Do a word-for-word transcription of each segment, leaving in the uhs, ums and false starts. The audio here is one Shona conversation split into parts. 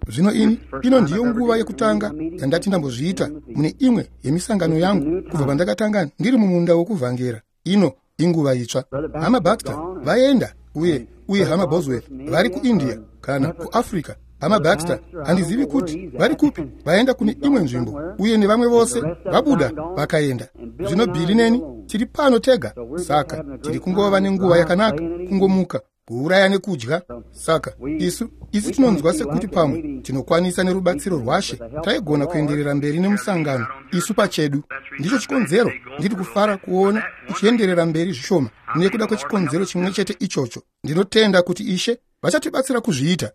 Zvino ini, ino ndiyo nguva yekutanga yandati ndambozviita mune imwe yemisangano yangu kubva pandakatanga ndiri mumunda wokuvhangera. Ino inguva itsva. Hama Baxter vaenda, uye uye Hama Bosworth vari kuIndia kana kuAfrica. Hama Baxter handizivi kuti vari kupi, vaenda kune imwe nzvimbo, uye nevamwe vose vabuda vakaenda. Zvino Billy neni tiri pano tega, saka tiri kungova nenguva yakanaka, kungomuka, kuuraya nekudya. Saka isu isu tinonzwa sekuti pamwe tinokwanisa nerubatsiro rwaShe taigona kuenderera mberi nemusangano isu pachedu. Ndicho chikonzero ndiri kufara kuona uchienderera mberi zvishoma, nekuda kwechikonzero chimwe chete ichocho. Ndinotenda kuti Ishe vachatibatsira kuzviita.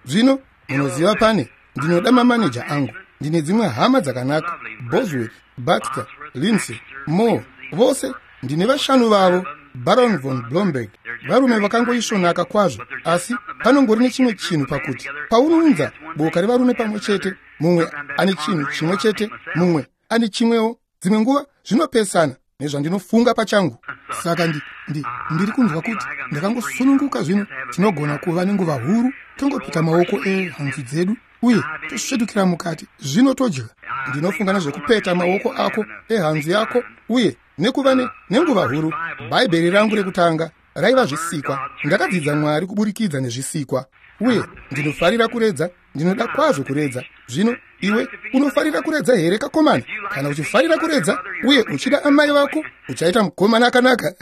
Zvino munoziva, pane ndinoda mamaneja angu. Ndine dzimwe hama dzakanaka, Bosworth, Baxter, Lindsay, Moore, vose ndine vashanu vavo, Baron von Blomberg, varume vakangoisvonaka kwazvo. Asi panongori nechimwe chinhu pakuti paunounza boka revarume pamwe chete, mumwe ane chinhu chimwe chete, mumwe ane chimwewo, dzimwe nguva zvinopesana nezvandinofunga pachangu. Saka ndi, ndi, ndiri kunzwa kuti ndakangosununguka zvino. Tinogona kuva nenguva huru, tongopeta maoko ehanzu dzedu uye tosvetukira mukati, zvino todya. Ndinofunga nezvekupeta maoko ako ehanzu yako uye nekuva nenguva huru. Bhaibheri rangu rekutanga raiva zvisikwa. Ndakadzidza Mwari kuburikidza nezvisikwa, uye ndinofarira kuredza. Ndinoda kwazvo kuredza. Zvino iwe unofarira kuredza here, kakomana? Kana uchifarira kuredza uye uchida amai vako, uchaita mukomana akanaka.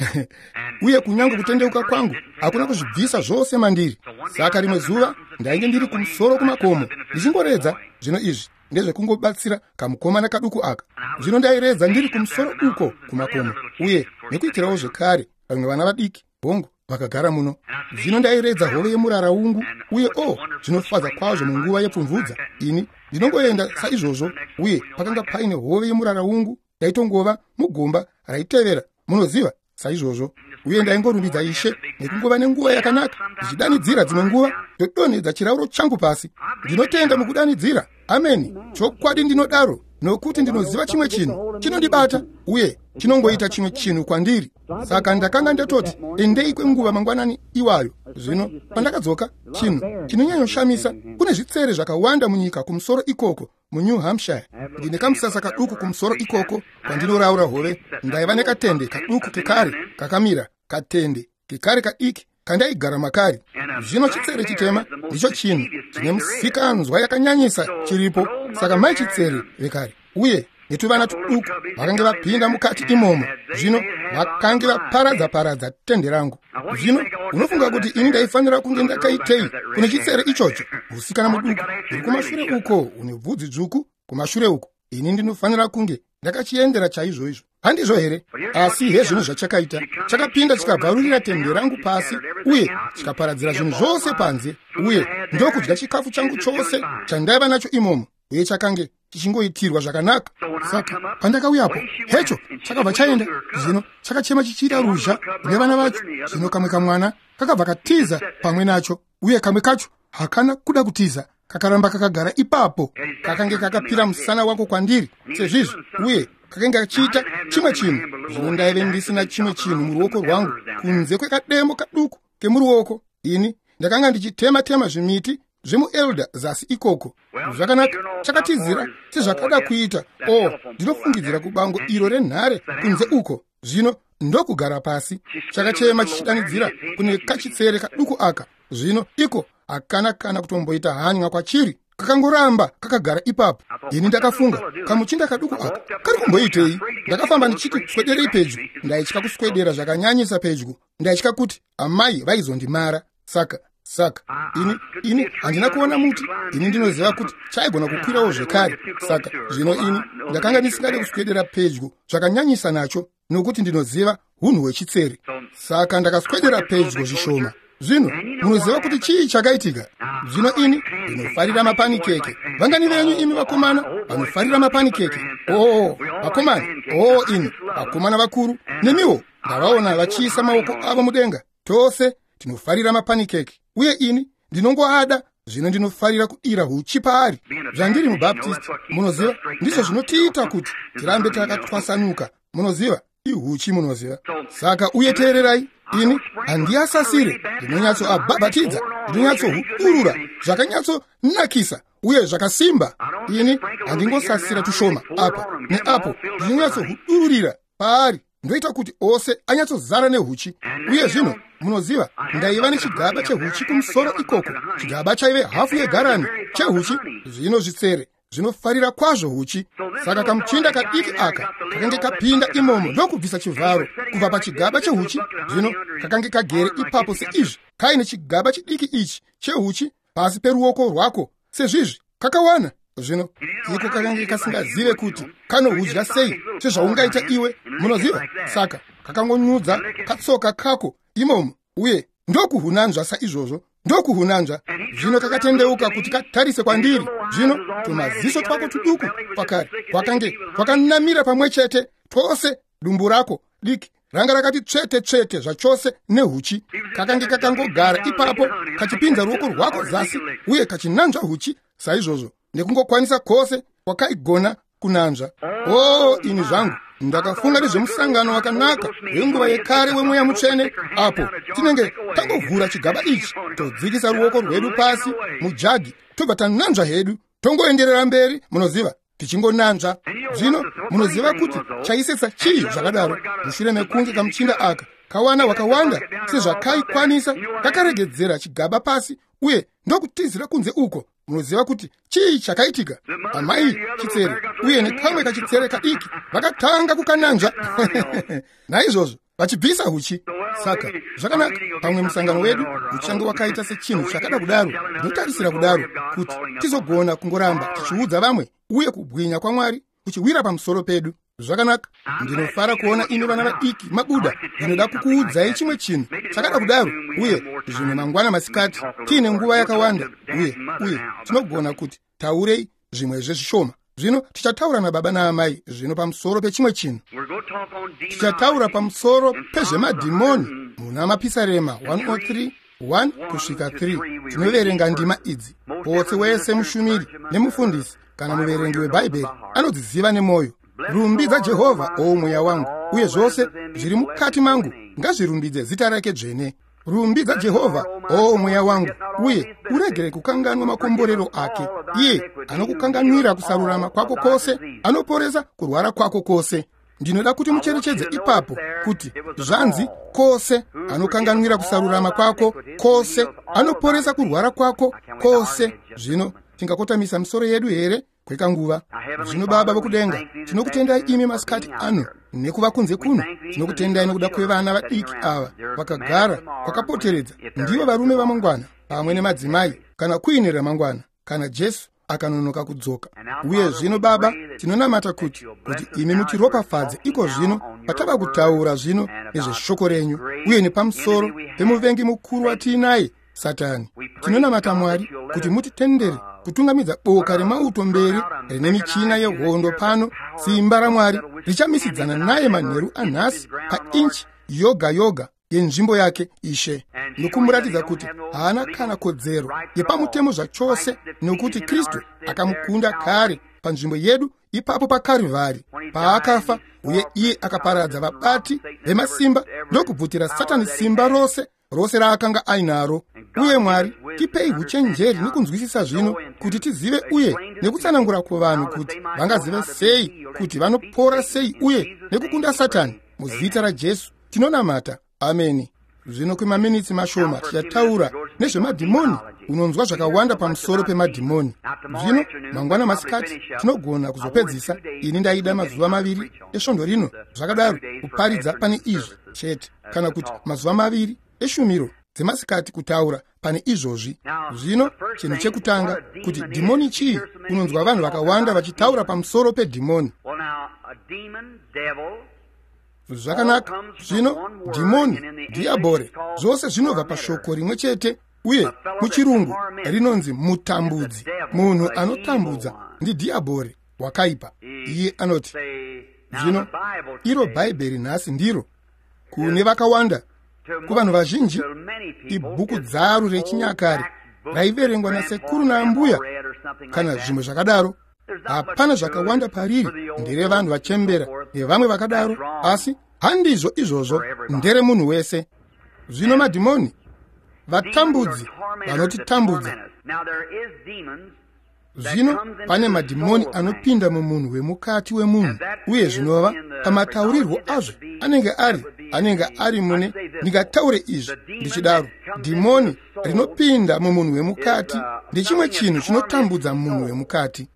Uye kunyange kutendeuka kwangu hakuna kuzvibvisa zvose mandiri. Saka rimwe zuva ndainge ndiri kumusoro kumakomo ndichingoredza. Zvino izvi ndezvekungobatsira kamukomana kaduku aka. Zvino ndairedza ndiri kumusoro uko kumakomo, uye nekuitirawo zvekare vamwe vana vadiki hongu vakagara muno. Zvino ndairedza hove yemuraraungu, uye o oh, zvinofadza kwazvo munguva yepfumvudza. Ini ndinongoenda saizvozvo, uye pakanga paine hove yemuraraungu yaitongova mugomba raitevera, munoziva, saizvozvo. Uye ndaingorumbidza Ishe nekungova nenguva yakanaka, ndichidanidzira dzimwe nguva ndodonhedza chirauro changu pasi. Ndinotenda mukudanidzira. Ameni. Chokwadi ndinodaro, nokuti ndinoziva chimwe chinhu chinondibata uye chinongoita chimwe chinhu kwandiri. Saka ndakanga ndatoti endei kwenguva mangwanani iwayo. Zvino pandakadzoka, chinhu chinonyanyoshamisa, kune zvitsere zvakawanda munyika kumusoro ikoko muNew Hampshire. Ndine kamusasa kaduku kumusoro ikoko kwandinoraura hove. Ndaiva nekatende kaduku kekare kakamira, katende kekare kadiki kandaigara makari. Zvino chitsere chitema ndicho chinhu chine musikanzwa yakanyanyisa chiripo. Saka mai chitsere vekare uye netuvana tuduku vakange vapinda mukati imomo, zvino vakange vaparadza-paradza tende rangu. Zvino unofunga kuti ini ndaifanira kunge ndakaitei kune chitsere ichocho? Musikana muduku uri kumashure uko une bvudzi dzvuku kumashure uko, ini ndinofanira kunge ndakachiendera chaizvoizvo, handizvo here? Asi hezvinhu zvachakaita, chakapinda chikabvarurira tende rangu pasi uye chikaparadzira zvinhu zvose panze, uye ndokudya chikafu changu chose chandaiva nacho imomo, uye chakange chichingoitirwa zvakanaka. Saka pandakauyapo, hecho chakabva chaenda. Zvino chakachema chichiita ruzha nevana vacho. Zvino kamwe kamwana kakabva katiza pamwe nacho, uye kamwe kacho hakana kuda kutiza, kakaramba kakagara ipapo. Kakange kakapira musana wako kwandiri sezvizvi, uye kakange kachiita chimwe chinhu. Zvino ndaive ndisina chimwe chinhu muruoko rwangu kunze kwekademo kaduku kemuruoko. Ini ndakanga ndichitema-tema zvimiti zvemuelder zasi ikoko. Zvakanaka, chakatizira sezvakada kuita. O, ndinofungidzira kubango iro renhare kunze uko. Zvino ndokugara pasi, chakachema chichidanidzira kune kachitsere kaduku aka. Zvino iko hakana kana kutomboita hanya kwachiri, kakangoramba kakagara ipapo. Ini ndakafunga, kamuchinda kaduku aka kari kumboitei? Ndakafamba ndichiti swederei pedyo. Ndaitya kuswedera zvakanyanyisa pedyo, ndaitya kuti amai vaizondimara. Saka saka ini ini handina kuona muti. Ini ndinoziva kuti chaigona kukwirawo zvekare. Saka zvino ini ndakanga ndisingade kuswedera pedyo zvakanyanyisa nacho, nokuti ndinoziva hunhu hwechitsere. Saka ndakaswedera pedyo zvishoma. Zvino munoziva kuti chii chakaitika? Zvino ini ndinofarira mapanikeke. Vangani venyu imi vakomana vanofarira mapanikeke? Oo, vakomana, oo ini vakomana vakuru nemiwo ndavaona vachiisa maoko avo mudenga. Tose tinofarira mapanikeke, uye ini ndinongoada. Zvino ndinofarira kudira huchi paari. Zvandiri mubaptist, munoziva, ndizvo zvinotiita kuti tirambe takatwasanuka, munoziva. Ihuchi, munoziva. Saka uye teererai, ini handiasasire, ndinonyatsoabhabhatidza, ndinonyatsohudurura zvakanyatsonakisa uye zvakasimba. Ini handingosasira tushoma apa neapo, ndinonyatsohudururira paari, ndoita kuti ose anyatsozara nehuchi. Uye zvino munoziva, ndaiva nechigaba chehuchi kumusoro ikoko, chigaba chaive hafu yegarani chehuchi. Zvino zvitsere zvinofarira kwazvo huchi. Saka kamuchinda kadiki aka kakange kapinda imomo ndokubvisa chivharo kubva pachigaba chehuchi. Zvino kakange kagere ipapo seizvi, kaine chigaba chidiki ichi chehuchi pasi peruoko rwako sezvizvi, kakawana. Zvino iko kakange kasingazive kuti kanohudya sei sezvaungaita iwe, munoziva. Saka kakangonyudza katsoka kako imomo uye ndokuhunanzva saizvozvo, ndokuhunanzva. Zvino kakatendeuka kuti katarise kwandiri. Zvino tumaziso twako tuduku kwakare kwakange kwakanamira pamwe chete twose, dumbu rako diki ranga rakati tsvete tsvete zvachose nehuchi. Kakange kakangogara ipapo kachipinza ruoko rwako zasi uye kachinanzva huchi saizvozvo nekungokwanisa kwose kwakaigona kunanzva. O, ini zvangu, ndakafunga nezvemusangano wakanaka wenguva yekare wemweya mutsvene, apo tinenge tangovhura chigaba ichi, todzikisa ruoko rwedu pasi mujagi, tobva tananzva hedu, tongoenderera mberi, munoziva, tichingonanzva. Zvino munoziva kuti chaisetsa chii zvakadaro? Mushure mekunge kamuchinda aka kawana wakawanda sezvakaikwanisa, kakaregedzera chigaba pasi uye ndokutizira kunze uko. Munoziva kuti chii chakaitika? Amai chitsere uye nekamwe kachitsere kadiki vakatanga kukananzva naizvozvo vachibvisa huchi. Saka zvakanaka, pamwe musangano wedu uchange wakaita sechinhu chakada kudaro. Ndinotarisira kudaro kuti tizogona kungoramba tichiudza vamwe uye kubwinya kwaMwari kuchiwira pamusoro pedu. Zvakanaka, ndinofara kuona imi vana vadiki mabuda. Ndinoda kukuudzai chimwe chinhu chakada kudaro, uye zvimwe mangwana masikati tiine nguva yakawanda, uye uye tinogona kuti taurei zvimwezve zvishoma. Zvino tichataura nababa naamai zvino pamusoro pechimwe chinhu. Tichataura pamusoro pezvemadhimoni muna Mapisarema one oh three one kusvika three. Tinoverenga ndima idzi. Potse wese mushumiri nemufundisi kana muverengi weBhaibheri anodziziva nemwoyo. Rumbidza Jehovha, o mweya wangu, uye zvose zviri mukati mangu ngazvirumbidze zita rake dzvene. Rumbidza Jehovha, o mweya wangu, uye uregere kukanganwa makomborero ake. Iye anokukanganwira kusarurama kwako kwose, anoporesa kurwara kwako kwose. Ndinoda kuti mucherechedze ipapo kuti zvanzi kwose anokanganwira kusarurama kwako kwose, anoporesa kurwara kwako kwose. Zvino tingakotamisa misoro yedu here kwekanguva? Zvino Baba vokudenga, tinokutendai imi masikati ano nekuva kunze kuno. Tinokutendai nokuda kwevana vadiki ava vakagara kwakapoteredza. Ndivo varume vamangwana pamwe nemadzimai, kana kuine ramangwana, kana Jesu akanonoka kudzoka. Uye zvino Baba, tinonamata kuti kuti imi mutiropafadze iko zvino patava kutaura zvino nezveshoko renyu uye nepamusoro pemuvengi mukuru watiinaye, Satani. Tinonamata Mwari kuti mutitendere kutungamidza boka remauto mberi rine michina yehondo pano. Simba raMwari richamisidzana naye manheru anhasi painchi yoga yoga yenzvimbo yake, Ishe, nokumuratidza kuti haana kana kodzero yepamutemo zvachose, nokuti Kristu akamukunda kare panzvimbo yedu ipapo paKarivhari paakafa, uye iye akaparadza vabati vemasimba ndokubvutira Satani simba rose rose raakanga ainaro. Uye Mwari, tipei uchenjeri nekunzwisisa zvino kuti tizive uye nekutsanangura kuvanhu kuti vangazive sei kuti vanopora sei uye nekukunda Satani. Muzita raJesu tinonamata, ameni. Zvino kwemaminitsi mashoma tichataura nezvemadhimoni. Unonzwa zvakawanda pamusoro pemadhimoni. Zvino mangwana masikati tinogona kuzopedzisa. Ini ndaida mazuva maviri esvondo rino zvakadaro kuparidza pane izvi chete, kana kuti mazuva maviri eshumiro dzemasikati kutaura pane izvozvi. Zvino chinhu chekutanga kuti dhimoni chii? Unonzwa vanhu vakawanda vachitaura pamusoro pedhimoni. Zvakanaka, zvino dhimoni, dhiabhore, zvose zvinobva pashoko rimwe chete, uye muchirungu rinonzi mutambudzi. Munhu anotambudza ndidhiabhore wakaipa. Iye anoti, zvino iro Bhaibheri nhasi ndiro kune vakawanda, kuvanhu vazhinji, ibhuku dzaru rechinyakare raiverengwa nasekuru naambuya kana zvimwe zvakadaro. Hapana zvakawanda pariri, nderevanhu vachembera nevamwe vakadaro, asi Handizvo izvozvo, nderemunhu wese. Zvino madhimoni, vatambudzi vanotitambudza. Zvino pane madhimoni anopinda mumunhu wemukati wemunhu, uye zvinova pamataurirwo azvo anenge ari anenge ari mune, ndingataure izvi ndichidaro, dhimoni rinopinda mumunhu wemukati ndechimwe chinhu chinotambudza munhu wemukati.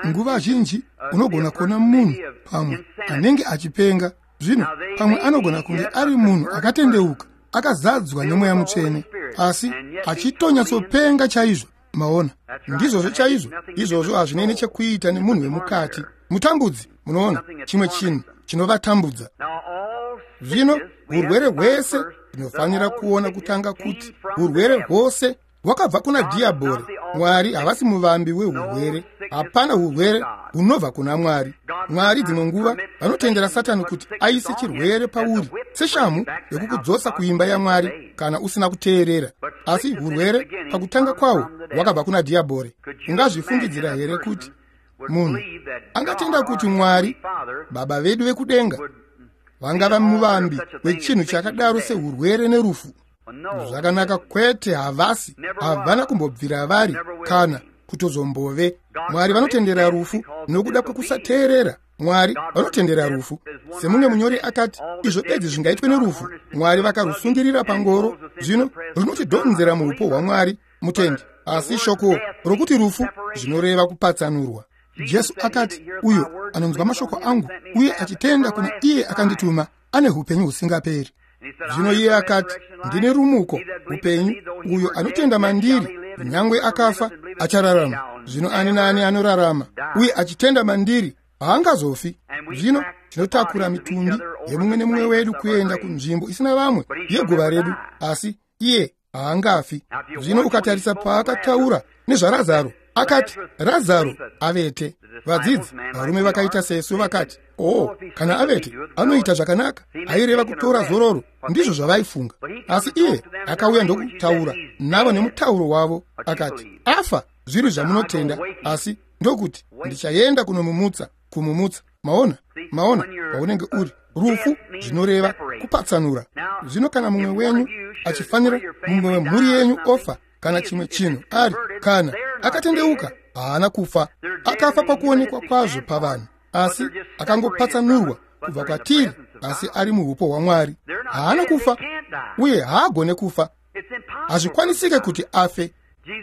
Nguva zhinji unogona kuona munhu pamwe anenge achipenga. Zvino pamwe anogona kunge ari munhu akatendeuka, akazadzwa nemweya mutsvene, asi achitonyatsopenga chaizvo. Maona, ndizvozvo chaizvo. Izvozvo hazvinei nechekuita nemunhu wemukati. Mutambudzi, munoona, chimwe chinhu chinovatambudza. Zvino urwere hwese tinofanira kuona kutanga kuti urwere hwose hwakabva kuna dhiyabhori. Mwari havasi muvambi wehurwere. Hapana urwere hunobva kuna Mwari. Mwari dzimwe nguva vanotendera Satani kuti aise chirwere pauri seshamhu yekukudzosa kuimba yaMwari kana usina kuteerera. Asi urwere pakutanga kwawo hwakabva kuna dhiyabhori. Ungazvifungidzira here kuti munhu angatenda kuti Mwari, Baba vedu vekudenga, vangava muvambi wechinhu chakadaro sehurwere nerufu? Zvakanaka, kwete, havasi. Havana kumbobvira vari kana kutozombove. Mwari vanotendera rufu nokuda kwekusateerera. Mwari vanotendera rufu. Semumwe munyori akati, izvo bedzi zvingaitwe nerufu, Mwari vakarusungirira pangoro, zvino runotidhonzera muupo hwaMwari mutendi. Asi shoko rokuti rufu zvinoreva kupatsanurwa. Jesu akati, uyo anonzwa mashoko angu uye achitenda kuna iye akandituma ane hupenyu husingaperi. Zvino iye akati, ndine rumuko, upenyu, uyo anotenda mandiri, nyangwe akafa achararama. Zvino ani naani anorarama uye achitenda mandiri haangazofi. Zvino tinotakura mitumbi yemumwe nemumwe wedu kuenda kunzvimbo isina vamwe yeguva redu, asi iye haangafi. Zvino ukatarisa paakataura nezvaRazaro, akati Razaro avete. Vadzidzi varume vakaita sesu vakati, oh, kana avete anoita zvakanaka, aireva kutora zororo. Ndizvo zvavaifunga. Asi iye akauya ndokutaura navo nemutauro wavo, akati, afa zviri zvamunotenda, asi ndokuti ndichaenda kunomumutsa, kumumutsa. Maona, maona paunenge uri rufu zvinoreva kupatsanura. Zvino kana mumwe wenyu achifanira, mumwe wemhuri yenyu ofa kana chimwe chinhu ari kana akatendeuka, haana kufa. Akafa pakuonekwa kwazvo pavanhu, asi akangopatsanurwa kubva kwatiri, asi ari muhupo hwaMwari. Haana kufa uye haagone kufa. Hazvikwanisike kuti afe.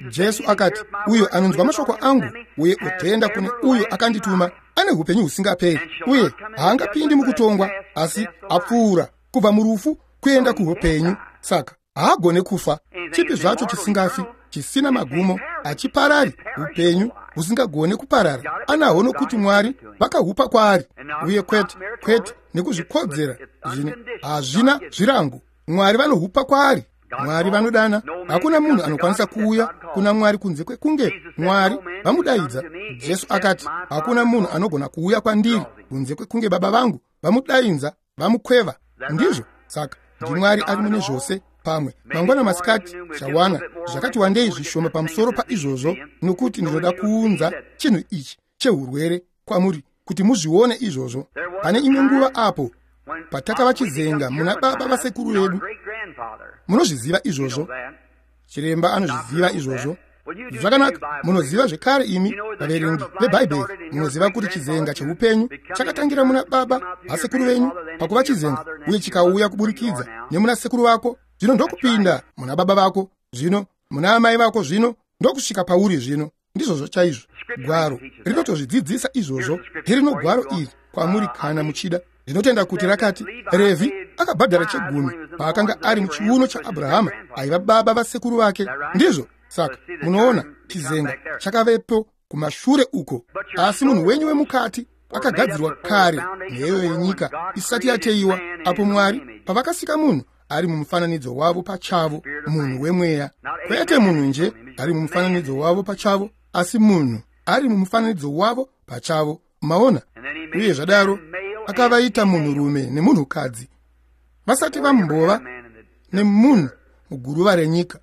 Jesu akati, uyo anonzwa mashoko angu uye otenda kune uyo akandituma ane hupenyu husingaperi, uye haangapindi mukutongwa, asi apfuura kubva murufu kuenda kuhupenyu. Saka haagone kufa. Chipi zvacho chisingafi, chisina magumo, achiparari, upenyu husingagone kuparara anahwo nokuti Mwari vakahupa kwaari. Uye kwete kwete nekuzvikodzera, zvine hazvina zvirango. Mwari vanohupa kwaari. Mwari vanodana. Hakuna munhu anokwanisa kuuya kuna Mwari kunze kwekunge Mwari vamudaidza. Jesu akati, hakuna munhu anogona kuuya kwandiri kunze kwekunge Baba vangu vamudaidza, vamukweva. Ndizvo. Saka ndiMwari ari mune zvose. Pamwe mangwana masikati chawana zvakati wandei zvishoma pamusoro paizvozvo, nokuti ndinoda kuunza chinhu ichi chehurwere kwamuri kuti muzvione izvozvo. Pane imwe nguva apo patakava chizenga muna baba vasekuru vedu. Munozviziva izvozvo, chiremba anozviziva izvozvo. Zvakanaka, munoziva zvekare imi vaverengi veBhaibheri, munoziva kuti chizenga cheupenyu chakatangira muna baba vasekuru venyu pakuva chizenga, uye chikauya kuburikidza nemuna sekuru vako, zvino ndokupinda muna baba vako, zvino muna amai vako, zvino ndokusvika pauri zvino. Ndizvozvo chaizvo. Gwaro rinotozvidzidzisa izvozvo. Ndirino gwaro iri kwamuri kana muchida. Ndinotenda kuti rakati Revhi akabhadhara chegumi paakanga ari muchiuno chaAbrahama, aiva baba vasekuru vake. Ndizvo. Saka munoona chizenga chakavepo kumashure uko, asi munhu wenyu wemukati akagadzirwa kare nheyo yenyika isati yateiwa, apo Mwari pavakasika munhu ari mumufananidzo wavo pachavo, munhu wemweya. Kwete munhu nje ari mumufananidzo wavo pachavo, asi munhu ari mumufananidzo wavo pachavo. Maona? Uye zvadaro akavaita munhurume nemunhukadzi vasati vambova nemunhu muguruva renyika.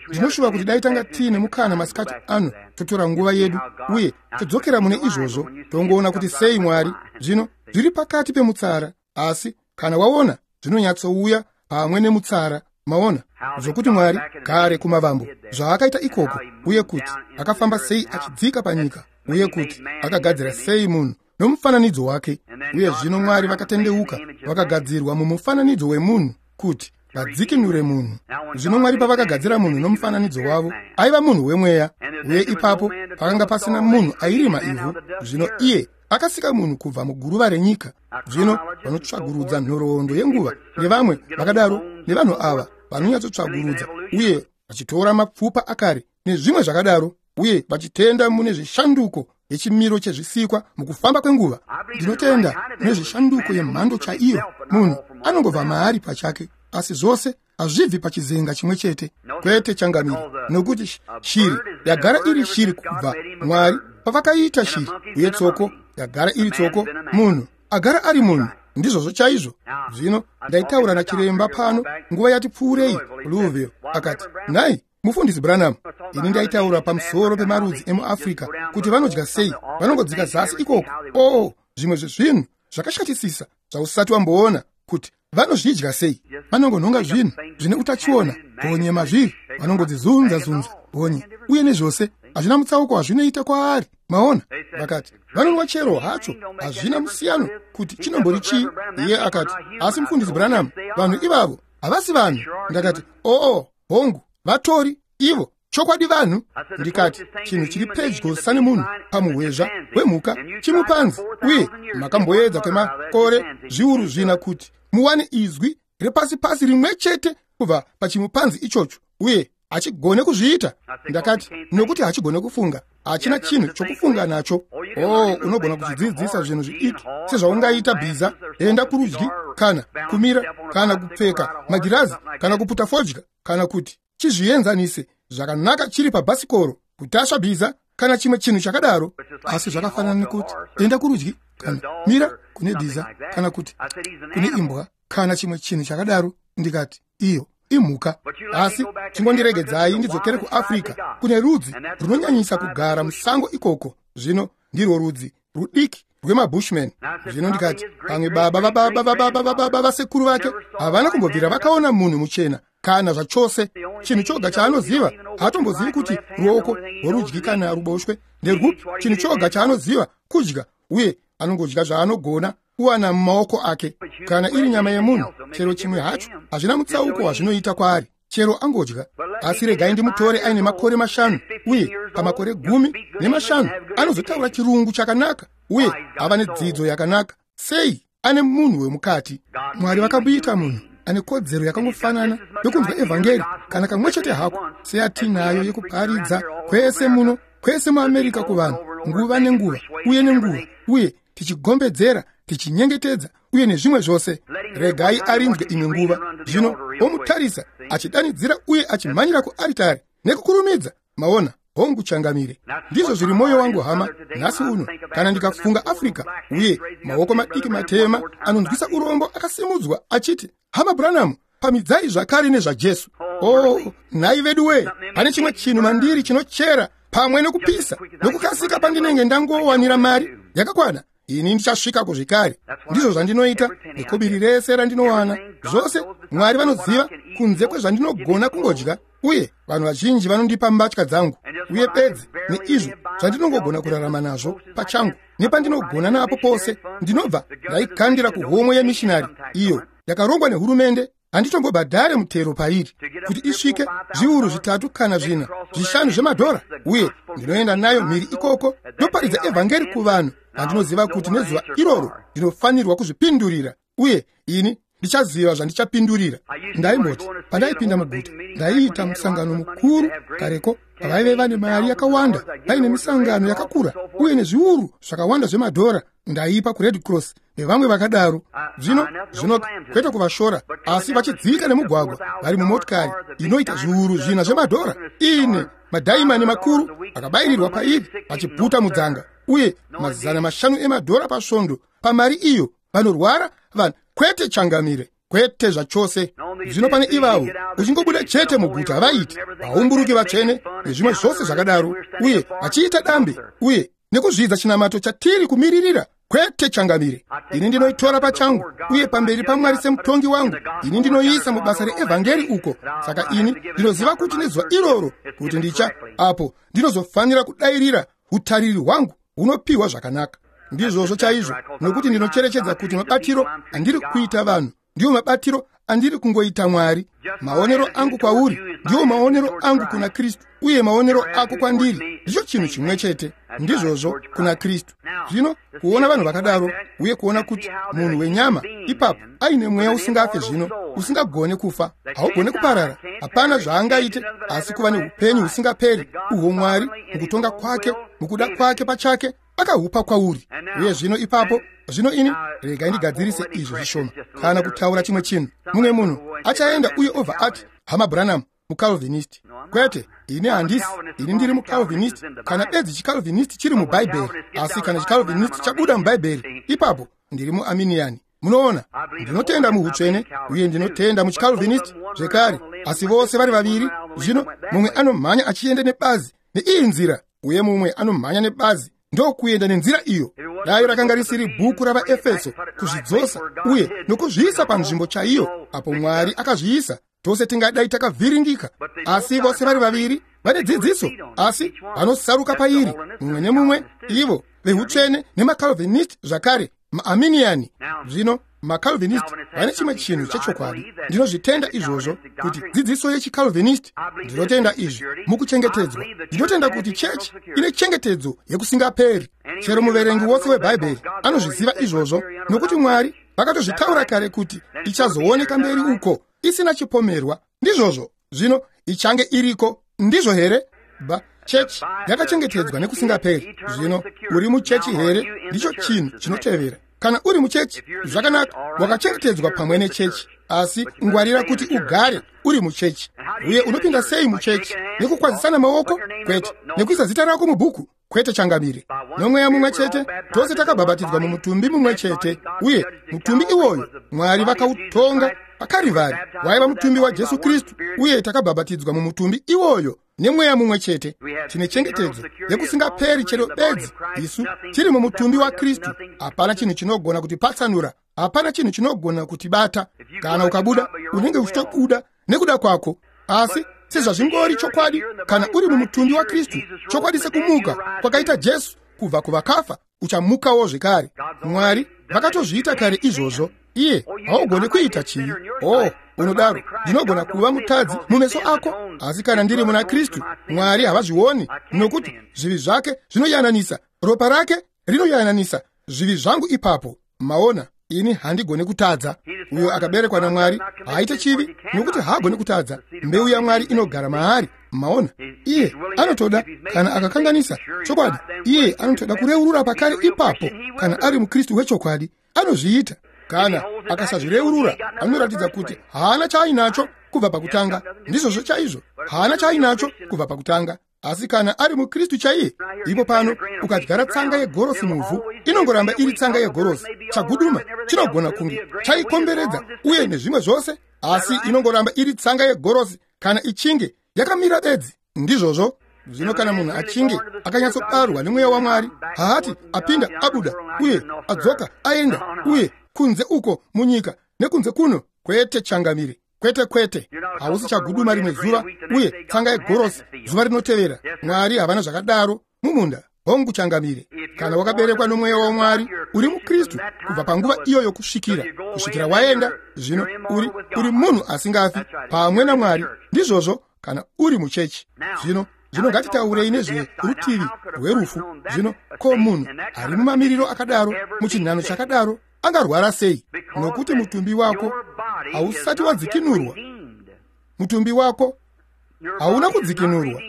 Ndinoshuva kuti dai tanga tiine mukana masikati ano totora nguva yedu uye todzokera mune izvozvo, tongoona kuti sei Mwari zvino zviri pakati pemutsara, asi Kana waona, zvinonyatsouya pamwe nemutsara. Maona zvokuti Mwari kare kumavambo zvaakaita ikoko, uye kuti akafamba sei achidzika panyika, uye kuti akagadzira sei munhu nomufananidzo wake. Uye zvino Mwari vakatendeuka, vakagadzirwa mumufananidzo wemunhu kuti vadzikinure munhu. Zvino Mwari pavakagadzira munhu nomufananidzo wavo, aiva munhu wemweya. Uye ipapo pakanga pasina munhu airima ivhu. Zvino iye akasika munhu kubva muguruva renyika. Zvino vanotsvagurudza nhoroondo yenguva nevamwe vakadaro, nevanhu ava vanonyatsotsvagurudza uye vachitora mapfupa akare nezvimwe zvakadaro, uye vachitenda mune zvishanduko yechimiro chezvisikwa mukufamba kwenguva. Ndinotenda mune zvishanduko yemhando chaiyo. Munhu anongobva maari pachake, asi zvose hazvibvi pachizenga chimwe chete. Kwete changamire, nokuti shiri yagara iri shiri kubva Mwari pavakaita shiri, uye tsoko yagara iri tsoko, munhu agara ari munhu. Ndizvozvo chaizvo. Zvino ndaitaura nachiremba pano nguva yati pfuurei Louisville, akati, "Nhai mufundisi Branham, ini ndaitaura pamusoro pemarudzi emuAfrica kuti vanodya sei, vanongodzika zasi ikoko. Oh, zvimwe zvezvinhu zvakashatisisa zvausati wamboona, kuti vanozvidya sei. Vanongonhonga zvinhu zvine utachiona, honye mazviri, vanongodzizunza-zunza honye, uye nezvose hazvina mutsauko hazvinoita kwaari." Maona, vakati vanonwa chero hacho, hazvina musiyano kuti chinombori chii. Iye akati, "Asi mufundisi Branham, vanhu ivavo havasi vanhu." Ndakati, "Oo, hongu, vatori ivo chokwadi vanhu." Ndikati, "Chinhu chiri pedyo sanemunhu pamuhwezva wemhuka chimupanzi, uye makamboedza kwemakore zviuru zvina kuti muwane izwi repasi pasi rimwe chete kubva pachimupanzi ichocho, uye hachigone kuzviita." Ndakati, "Nokuti hachigone kufunga, hachina chinhu chokufunga nacho. Oh, unogona kuzvidzidzisa zvinhu zvidiki sezvaungaita bhiza, enda kurudyi kana kumira kana kupfeka magirazi kana kuputa fodya, kana kuti chizvienzanise zvakanaka chiri pabhasikoro, kutasva bhiza kana chimwe chinhu chakadaro. Asi zvakafanana nekuti enda kurudyi kana mira kune bhiza kana kuti kune imbwa kana chimwe chinhu chakadaro." Ndikati, "Iyo imhuka. Asi chingondiregedzai ndidzokere kuAfrica, kune rudzi runonyanyisa kugara musango ikoko. Zvino ndirwo rudzi rudiki rwemabushman." Zvino ndikati, "Pamwe baba vababa vababa vababa vasekuru vake havana kumbobvira vakaona munhu muchena kana zvachose. Chinhu choga chaanoziva, haatombozivi kuti ruoko rworudyi kana ruboshwe nderwupi. Chinhu choga chaanoziva kudya, uye anongodya zvaanogona kuwana mumaoko ake. Kana iri nyama yemunhu, chero chimwe hacho, hazvina mutsauko wazvinoita kwaari, chero angodya. Asi regai ndimutore aine makore mashanu, uye pamakore gumi nemashanu anozotaura chirungu chakanaka uye ava nedzidzo yakanaka. Sei? Ane munhu wemukati. Mwari vakamuita munhu ane kodzero yakangofanana yokunzwa evhangeri kana kamwe chete hako seyatinayo yekuparidza kwese muno, kwese muAmerica kuvanhu nguva nenguva uye nenguva, uye tichigombedzera, tichinyengetedza uye nezvimwe zvose. Regai arinzwe imwe nguva. Zvino omutarisa achidanidzira uye achimhanyira kuaritari nekukurumidza. Maona, hongu changamire. Ndizvo zviri mwoyo wangu hama nhasi uno. Kana ndikafunga Africa uye maoko madiki matema anonzwisa urombo akasimudzwa achiti, 'Hama Branham, pamidzai zvakare nezvaJesu.' Oh, nhai vedu wee, pane chimwe chinhu mandiri chinochera pamwe nekupisa nokukasika pandinenge ndangowanira mari yakakwana, ini ndichasvikako zvekare. Ndizvo zvandinoita nekobiri rese randinowana. Zvose Mwari vanoziva kunze kwezvandinogona kungodya, uye vanhu vazhinji vanondipa mbatya dzangu, uye bedzi neizvo zvandinongogona kurarama nazvo pachangu nepandinogona napo pose, ndinobva ndaikandira kuhomwe yemishinari iyo yakarongwa nehurumende. Handitombobhadhare mutero pairi, kuti isvike zviuru zvitatu kana zvina zvishanu zvemadhora, uye ndinoenda nayo mhiri ikoko ndoparidza evhangeri kuvanhu vandinoziva kuti nezuva iroro ndinofanirwa kuzvipindurira, uye ini ndichaziva zvandichapindurira. Ndaimboti pandaipinda muguta, ndaiita musangano mukuru kareko, vaive vane mari yakawanda, vaine misangano yakakura uye nezviuru zvakawanda zvemadhora ndaipa kuRed Cross nevamwe vakadaro. Zvino zvino kwete kuvashora, asi vachidzika nemugwagwa vari mumotikari inoita zviuru zvina zvemadhora, ine madhaimani makuru akabayirirwa pairi, vachiputa mudzanga, uye mazana mashanu emadhora pasvondo pamari iyo vanorwara vanhu. Kwete changamire, kwete zvachose. Zvino pane ivavo uchingobuda chete muguta vaiti vaumburuki vatsvene nezvimwe zvose zvakadaro, uye vachiita dambe uye nekuzvidza chinamato chatiri kumiririra. Kwete changamire. Ini ndinoitora pachangu uye pamberi paMwari semutongi wangu. Ini ndinoiisa mubasa reevhangeri uko. Saka ini ndinoziva kuti nezuva iroro kuti ndicha apo ndinozofanira kudairira utariri hwangu hunopiwa zvakanaka. Ndizvozvo chaizvo, nokuti ndinocherechedza kuti mabatiro andiri kuita vanhu ndiwo mabatiro andiri kungoita Mwari. Maonero angu kwauri ndiwo maonero angu kuna Kristu, uye maonero ako kwandiri ndicho chinhu chimwe chete. Ndizvozvo kuna Kristu. Zvino kuona vanhu vakadaro uye kuona kuti munhu wenyama ipapo aine mweya usingafe zvino, usingagone kufa, haugone kuparara, hapana zvaangaite asi kuva neupenyu husingaperi uhwo Mwari mukutonga kwake, mukuda kwake pachake akahupa kwauri. Uye zvino ipapo zvino ini regai ndigadzirise izvo zvishoma kana kutaura chimwe chinhu. Mumwe munhu achaenda uye obva ati, Hama Branham muCalvinist. Kwete, ini handisi. Ini ndiri muCalvinist kana bedzi chiCalvinist chiri muBhaibheri. Asi kana chiCalvinist chabuda muBhaibheri, ipapo ndiri muArminian. Munoona, ndinotenda muhutsvene uye ndinotenda muchiCalvinist zvekare, asi vose vari vaviri. Zvino mumwe anomhanya achienda nebazi neiyi nzira, uye mumwe anomhanya nebazi ndokuenda nenzira iyo. Dai rakanga risiri bhuku ravaEfeso kuzvidzosa uye nokuzviisa panzvimbo chaiyo apo Mwari akazviisa, tose tingadai takavhiringika. Asi vose vari vaviri vane dzidziso, asi vanosaruka pairi mumwe nemumwe, ivo vehutsvene nemaCalvinist zvakare maArminian. Zvino maCalvinist vane chimwe chinhu chechokwadi. Ndinozvitenda izvozvo, kuti dzidziso yechiCalvinist, ndinotenda izvi mukuchengetedzwa. Ndinotenda kuti chechi ine chengetedzo yekusingaperi. Chero muverengi wose weBhaibheri anozviziva izvozvo, nokuti Mwari vakatozvitaura kare kuti ichazooneka mberi uko isina chipomerwa. Ndizvozvo. Zvino ichange iriko, ndizvo here? Ba chechi yakachengetedzwa nekusingaperi. Zvino uri muchechi here? Ndicho chinhu chinotevera. Kana uri muchechi, zvakanaka, wakachengetedzwa pamwe nechechi, asi ngwarira kuti ugare uri muchechi. Uye unopinda sei muchechi? Nekukwazisana maoko? Kwete. Nekuisa zita rako mubhuku? Kwete changamire. Nomweya mumwe chete tose takabhabhatidzwa mumutumbi mumwe chete, uye mutumbi iwoyo Mwari vakautonga paKarivhari waiva mutumbi waJesu Kristu, uye takabhabhatidzwa mumutumbi iwoyo nemweya mumwe chete. Tine chengetedzo yekusingaperi chero bedzi isu tiri mumutumbi waKristu. Hapana chinhu chinogona kutipatsanura, hapana chinhu chinogona kutibata. Kana ukabuda, unenge uchitobuda nekuda kwako. Asi sezvazvingori chokwadi, kana uri mumutumbi waKristu, chokwadi sekumuka kwakaita Jesu kubva kuvakafa, uchamukawo zvekare. Mwari vakatozviita kare izvozvo. Iye haugoni kuita chivi. Oh, unodaro, ndinogona kuva mutadzi mumeso ako, asi kana ndiri muna Kristu, Mwari havazvioni, nokuti zvivi zvake zvinoyananisa, ropa rake rinoyananisa zvivi zvangu ipapo. Maona, ini handigoni kutadza. Uyo akaberekwa naMwari haaite chivi, nokuti haagoni kutadza. Mbeu yaMwari inogara maari. Maona, iye anotoda, kana akakanganisa chokwadi, iye anotoda kureurura pakare ipapo. Kana ari muKristu wechokwadi, anozviita. Kana akasazvireurura, anoratidza kuti haana chaainacho kubva pakutanga. Ndizvozvo chaizvo, haana chaainacho kubva pakutanga. Asi kana ari muKristu chaiye, ipo pano ukadyara tsanga yegorosi muvhu, inongoramba iri tsanga yegorosi. Chaguduma chinogona kunge chaikomberedza uye nezvimwe zvose, asi inongoramba iri tsanga yegorosi kana ichinge yakamira bedzi. Ndizvozvo. Zvino kana munhu achinge akanyatsobarwa nemweya waMwari, haati apinda abuda uye adzoka aenda uye kunze uko munyika nekunze kuno. Kwete changamire, kwete kwete. Hausi chaguduma rimwe zuva uye tsanga yegorosi zuva rinotevera. Mwari havana zvakadaro mumunda. Hongu changamire. Kana wakaberekwa nomweya waMwari, uri muKristu kubva panguva iyoyo kusvikira kusvikira waenda. Zvino uri uri munhu asingafi pamwe naMwari. Ndizvozvo kana uri muchechi. Zvino zvino ngatitaurei nezverutivi rwerufu. Zvino ko munhu ari mumamiriro akadaro, muchinhano chakadaro, angarwara sei? Nokuti mutumbi wako hausati wadzikinurwa. Mutumbi wako hauna kudzikinurwa.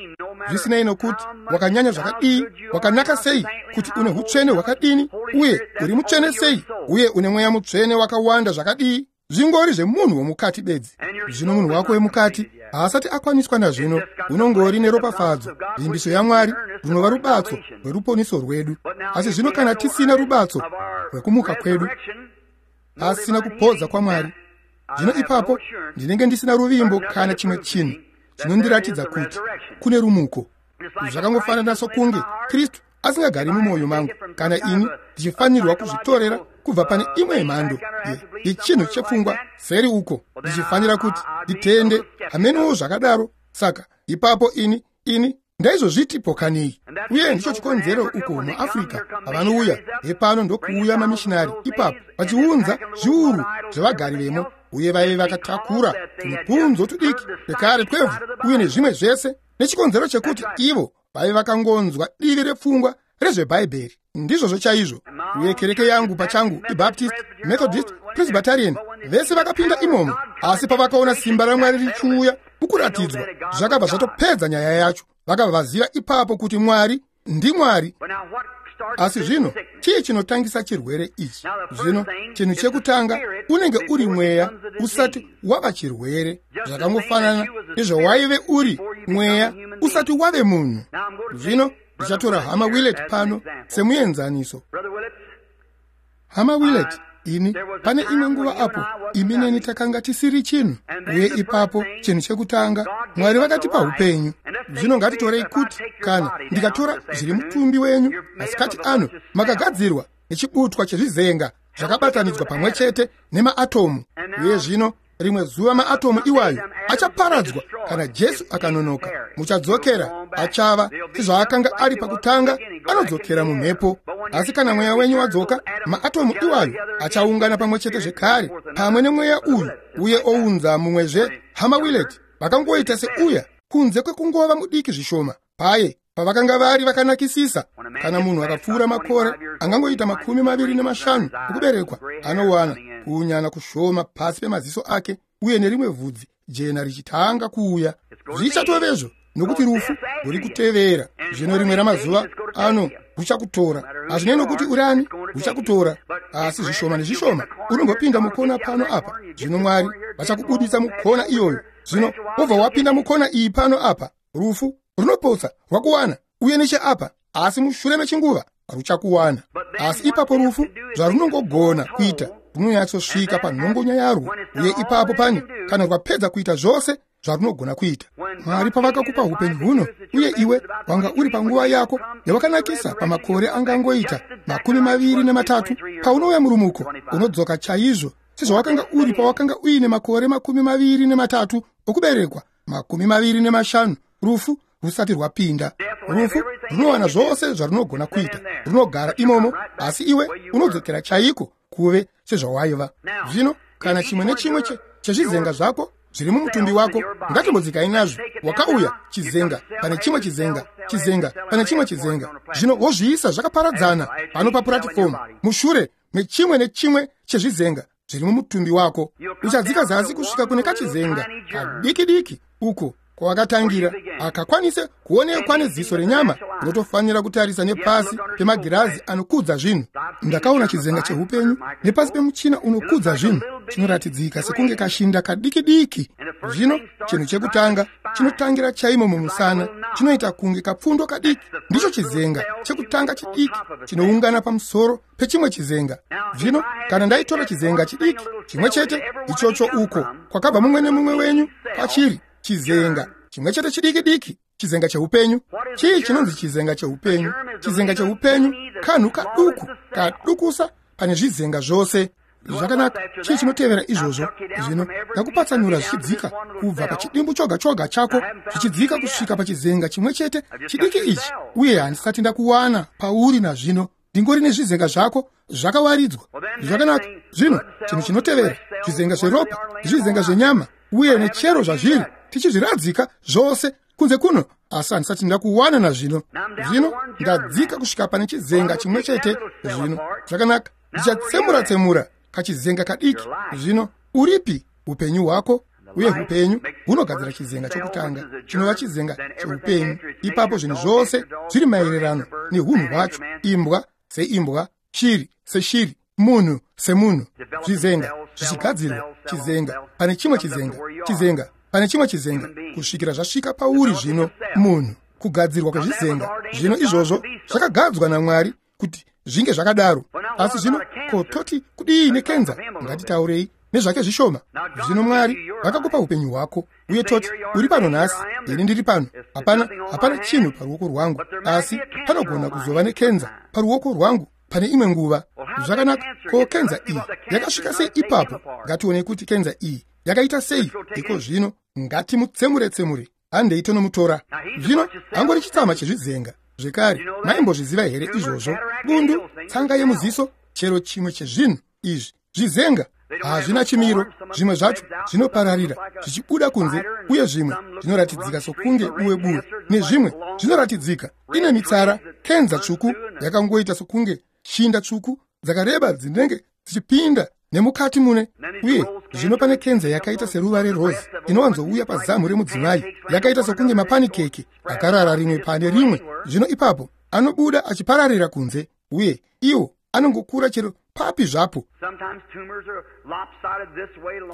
Zvisinei nokuti wakanyanya zvakadii, wakanaka sei, kuti une hutsvene hwakadini, uye uri mutsvene sei, uye une mweya mutsvene wakawanda zvakadii, zvingori zvemunhu womukati bedzi. Zvino munhu wako wemukati haasati akwaniswa nazvino. Unongori neropafadzo, vimbiso yaMwari, runova rubatso rweruponiso rwedu. Asi zvino kana tisina rubatso rwekumuka kwedu, asina kupodza kwaMwari, zvino ipapo ndinenge ndisina ruvimbo kana chimwe chinhu chinondiratidza kuti kune rumuko. Zvakangofanana sokunge Kristu asingagari mumwoyo mangu, kana ini ndichifanirwa kuzvitorera kubva pane imwe mhando yechinhu chepfungwa seri uko, ndichifanira kuti nditende hamenowo zvakadaro, saka ipapo ini ini ndaizozviti pokanei. Uye ndicho chikonzero uko muAfrica pavanouya hepano ndokuuya mamishinari ipapo vachiunza zviuru zvevagari vemo, uye vaive vakatakura tumupunzo tudiki twekare twevhu uye nezvimwe zvese, nechikonzero chekuti ivo vaive vakangonzwa divi repfungwa rezvebhaibheri. Ndizvozvo chaizvo. Uye kereke yangu pachangu iBaptist, Methodist, Presbyterian, vese vakapinda imomo, asi pavakaona simba raMwari richiuya mukuratidzwa, zvakabva zvatopedza nyaya yacho. Vakabva vaziva ipapo kuti Mwari ndiMwari. Asi zvino chii chinotangisa chirwere ichi? Zvino chinhu chekutanga unenge uri mweya usati wava chirwere, zvakangofanana nezvawaive uri mweya usati wave munhu. Zvino ndichatora Hama Willett pano semuenzaniso. Hama Willett, ini pane imwe nguva apo imi neni takanga tisiri chinhu, uye ipapo chinhu chekutanga Mwari vakatipa upenyu. Zvino ngatitorei kuti kana ndikatora zviri mutumbi wenyu masikati ano, makagadzirwa nechibutwa chezvizenga zvakabatanidzwa pamwe chete nemaatomu, uye zvino rimwe zuva maatomu iwayo achaparadzwa kana Jesu akanonoka. Muchadzokera, achava sezvaakanga ari pakutanga, anodzokera mumhepo. Asi kana mweya wenyu wadzoka, maatomu iwayo achaungana pamwe chete zvekare pamwe nemweya uyu, uye ounza mumwezve. Hama Willett vakangoita seuya, kunze kwekungova mudiki zvishoma paye pavakanga vari vakanakisisa. Kana munhu akapfuura makore angangoita makumi maviri nemashanu okuberekwa, anowana kuunyana kushoma pasi pemaziso ake uye nerimwe vhudzi jena richitanga kuuya. Zvichatovezvo, nokuti rufu ruri kutevera. Zvino rimwe ramazuva ano ruchakutora. Hazvinei nokuti uri ani, ruchakutora. Asi zvishoma nezvishoma unombopinda mukona pano apa. Zvino Mwari vachakubudisa mukona iyoyo. Zvino wobva wapinda mukona iyi pano apa, rufu runopotsa rwakuwana, uye necheapa, asi mushure mechinguva ruchakuwana. Asi ipapo rufu zvarunongogona kuita, runonyatsosvika panhongonya yarwo, uye ipapo pane kana rwapedza kuita zvose zvarunogona kuita. Mwari pavakakupa upenyu huno, uye iwe wanga uri panguva yako yawakanakisa pamakore angangoita makumi maviri nematatu, paunouya murumuko unodzoka chaizvo sezvawakanga uri pawakanga uine makore makumi maviri nematatu okuberekwa, makumi maviri nemashanu, rufu rusati rwapinda. Rufu runowana zvose zvarunogona kuita, runogara imomo, asi iwe unodzokera chaiko kuve sezvawaiva. Zvino kana chimwe nechimwe chezvizenga zvako zviri mumutumbi wako, ngatimbodzikai nazvo. Wakauya chizenga pane chimwe chizenga, chizenga pane chimwe chizenga, zvino wozviisa zvakaparadzana pano papuratifomu mushure mechimwe nechimwe chezvizenga zviri mumutumbi wako. Uchadzika zasi kusvika kune kachizenga kadiki diki uko kwawakatangira, akakwanise kuonekwa neziso renyama. Unotofanira kutarisa nepasi pemagirazi anokudza zvinhu. Ndakaona chizenga cheupenyu nepasi pemuchina unokudza zvinhu, chinoratidzika sekunge kashinda kadiki diki. Zvino chinhu chekutanga chinotangira chaimo mumusana, chinoita kunge kapfundo kadiki. Ndicho chizenga chekutanga chidiki chinoungana pamusoro pechimwe chizenga. Zvino kana ndaitora chizenga chidiki chimwe chete ichocho uko kwakabva mumwe nemumwe wenyu pachiri chizenga chimwe chete chidiki diki, chizenga cheupenyu. Chii chinonzi chizenga cheupenyu? Chizenga cheupenyu kanhu kaduku kadukusa pane zvizenga zvose. Zvakanaka, chii chinotevera izvozvo? Zvino ndakupatsanura zvichidzika kubva pachidimbu choga choga chako zvichidzika kusvika pachizenga chimwe chete chidiki ichi, uye handisati ndakuwana pauri nazvino. Ndingori nezvizenga zvako zvakawaridzwa. Zvakanaka, zvino chinhu chinotevera zvizenga zveropa, zvizenga zvenyama, uye nechero zvazviri, tichizviradzika zvose kunze kuno, asi handisati ndakuwana nazvino. Zvino ndadzika kusvika pane chizenga chimwe chete. Zvino zvakanaka, ndichatsemura-tsemura kachizenga kadiki. Zvino uripi upenyu hwako? Uye upenyu hunogadzira chizenga chokutanga chinova chizenga cheupenyu. Ipapo zvinhu zvose zviri maererano neunhu hwacho: imbwa seimbwa, shiri seshiri, munhu semunhu. Zvizenga zvichigadzirwa, chizenga pane chimwe chizenga, chizenga pane chimwe chizenga, kusvikira zvasvika pauri zvino munhu. Kugadzirwa kwezvizenga zvino izvozvo zvakagadzwa naMwari kuti zvinge zvakadaro. Asi zvino ko toti kudii nekenza? Ngatitaurei nezvake zvishoma. Zvino Mwari vakakupa upenyu hwako, uye toti uri pano nhasi, ini ndiri pano, hapana hapana chinhu paruoko rwangu, asi panogona kuzova nekenza paruoko rwangu pane imwe nguva. Zvakanaka, ko kenza iyi yakasvika sei ipapo? Ngatione kuti kenza iyi yakaita sei iko zvino. Ngatimutsemure-tsemure, handei tonomutora. Zvino angori chitsama chezvizenga zvekare. Maimbozviziva here izvozvo? Bundu, tsanga yemuziso, chero chimwe chezvinhu izvi zvizenga hazvina chimiro. Zvimwe zvacho zvinopararira zvichibuda kunze, uye zvimwe zvinoratidzika sokunge buwe buwe, nezvimwe zvinoratidzika ine mitsara. Kenza tsvuku yakangoita sokunge shinda tsvuku dzakareba dzinenge dzichipinda nemukati mune. Uye zvino pane kenza yakaita seruva rerozi inowanzouya pazamu remudzimai, yakaita sokunge mapanikeke akarara rimwe pane rimwe. Zvino ipapo anobuda achipararira kunze, uye iwo anongokura chero papi zvapo.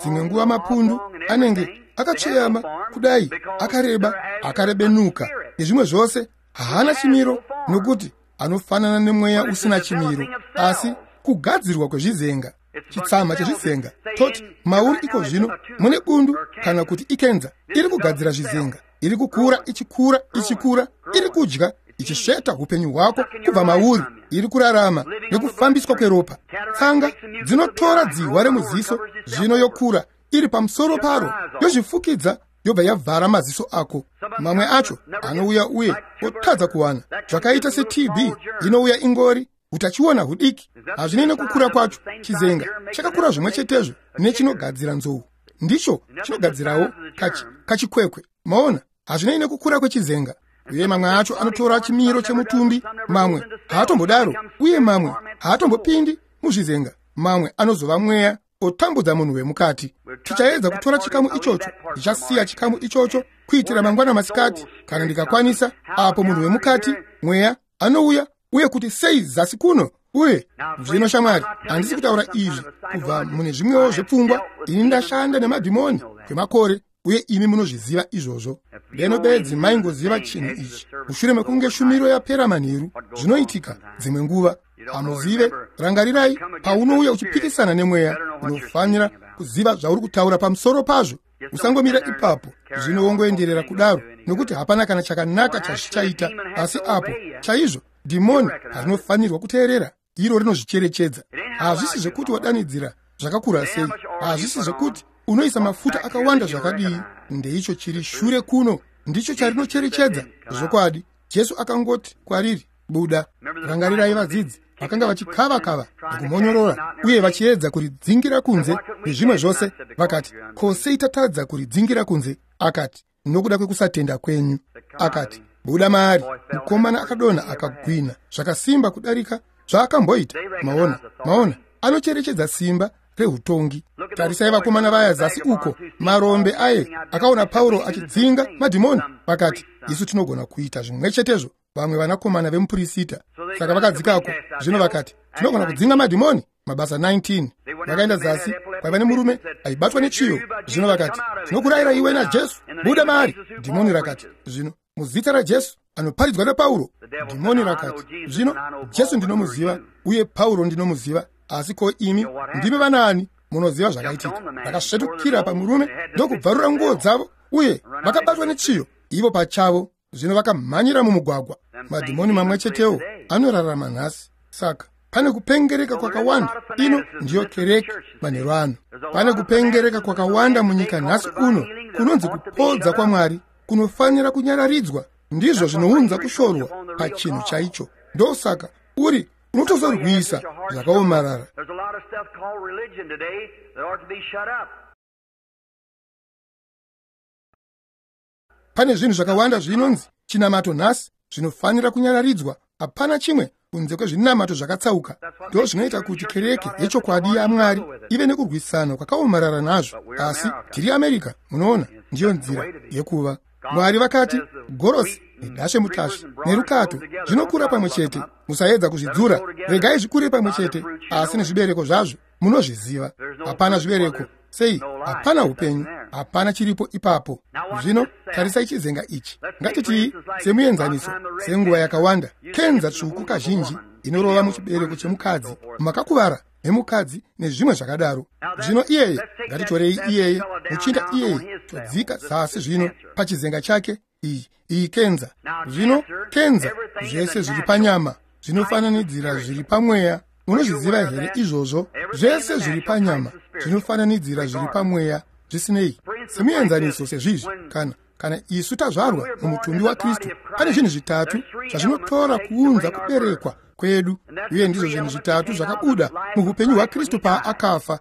Dzimwe nguva mapundu anenge akatsveyama kudai, akareba, akarebenuka nezvimwe zvose, haana chimiro nokuti anofanana nemweya usina chimiro. Asi kugadzirwa kwezvizenga, chitsama chezvizenga, toti mauri iko zvino mune bundu kana kuti ikenza iri kugadzira zvizenga, iri kukura, ichikura, ichikura, iri kudya, ichisveta upenyu hwako kubva mauri, iri kurarama nekufambiswa kweropa. Tsanga dzinotora dzihwa remuziso, zvino yokura iri pamusoro paro, yozvifukidza, yobva yavhara maziso ako. Mamwe acho anouya uye otadza kuwana, zvakaita seT B inouya ingori utachiona hudiki. Hazvinei nekukura kwacho, chizenga chakakura zvimwe chetezvo nechinogadzira nzou, ndicho chinogadzirawo kachi kachikwekwe. Maona, hazvinei nekukura kwechizenga. Uye mamwe acho anotora chimiro chemutumbi, mamwe haatombodaro, uye mamwe haatombopindi muzvizenga, mamwe anozova mweya otambudza munhu wemukati. Tichaedza kutora chikamu ichocho, ndichasiya chikamu ichocho kuitira mangwana masikati kana ndikakwanisa, apo munhu wemukati mweya anouya uye kuti sei zasi kuno. Uye zvino shamwari, handisi kutaura izvi kubva mune zvimwewo zvepfungwa. Ini ndashanda nemadhimoni kwemakore, uye imi munozviziva izvozvo. Deno bedzi maingoziva chinhu ichi, mushure mekunge shumiro yapera manheru, zvinoitika dzimwe nguva hamuzive. Rangarirai, paunouya uchipikisana nemweya, unofanira kuziva zvauri kutaura pamusoro pazvo. Usangomira ipapo zvino wongoenderera kudaro, nokuti hapana kana chakanaka chazvichaita. Asi apo chaizvo dhimoni harinofanirwa kuteerera, iro rinozvicherechedza. Hazvisi zvekuti wadanidzira zvakakura sei, hazvisi zvekuti unoisa mafuta akawanda zvakadii, ndeicho chiri shure kuno ndicho charinocherechedza. Zvokwadi, Jesu akangoti kwariri, buda. Rangarirai vadzidzi vakanga vachikava-kava nekumonyorora uye vachiedza kuridzingira kunze nezvimwe zvose. Vakati, ko sei tatadza kuridzingira kunze? Akati, nokuda kwekusatenda kwenyu. Akati, buda maari. Mukomana akadonha akagwina zvakasimba kudarika zvaakamboita. Maona, maona, anocherechedza simba reutongi. Tarisai vakomana vaya zasi uko, marombe aye akaona Pauro achidzinga madhimoni, vakati, isu tinogona kuita zvimwe chetezvo, vamwe vanakomana vemupurisita. Saka vakadzikako zvino vakati, tinogona kudzinga madhimoni. Mabasa nineteen. Vakaenda zasi kwaiva nemurume aibatwa nechiyo. Zvino vakati, tinokurayira iwe naJesu, buda maari. Dhimoni rakati, zvino muzita raJesu anoparidzwa naPauro. Dhimoni rakati, zvino Jesu ndinomuziva uye Pauro ndinomuziva, asi ko imi ndimi vanaani? Munoziva zvakaitika. Vakasvetukira pamurume ndokubvarura nguo dzavo, uye vakabatwa nechiyo ivo pachavo. Zvino vakamhanyira mumugwagwa. Madhimoni mamwe chetewo anorarama nhasi. Saka pane kupengereka kwakawanda. Ino ndiyo kereke manheru ano. Pane kupengereka kwakawanda munyika nhasi uno kunonzi kupodza kwaMwari kunofanira kunyararidzwa. Ndizvo zvinounza kushorwa pachinhu chaicho. Ndosaka uri unotozorwisa zvakaomarara. Pane zvinhu zvakawanda zvinonzi chinamato nhasi zvinofanira kunyararidzwa. Hapana chimwe kunze kwezvinamato zvakatsauka. Ndo zvinoita kuti kereke yechokwadi yaMwari ive nekurwisana kwakaomarara nazvo. Asi tiri America, munoona, ndiyo nzira yekuva. Mwari vakati gorosi nedashe mutasvi nerukato zvinokura pamwe chete. Musaedza kuzvidzura, regai zvikure pamwe chete, asi nezvibereko zvazvo munozviziva. Hapana zvibereko. Sei? Hapana upenyu. Hapana chiripo ipapo. Zvino tarisai chizenga ichi. Ngatitii semuenzaniso, senguva yakawanda, kenza tsvuku kazhinji inorova muchibereko chemukadzi, makakuvara nemukadzi nezvimwe zvakadaro. Zvino iyeye, ngatitorei iyeye, muchinda iyeye, todzika zasi zvino pachizenga chake, iyi iyi kenza. Zvino kenza, zvese zviri panyama zvinofananidzira zviri pamweya. Munozviziva here izvozvo? Zvese zviri panyama zvinofananidzira zviri pamweya, zvisinei. Semuenzaniso sezvizvi, kana kana isu tazvarwa mumutumbi waKristu, pane zvinhu zvitatu zvazvinotora kuunza kuberekwa kwedu, uye ndizvo zvinhu zvitatu zvakabuda muupenyu hwaKristu paakafa.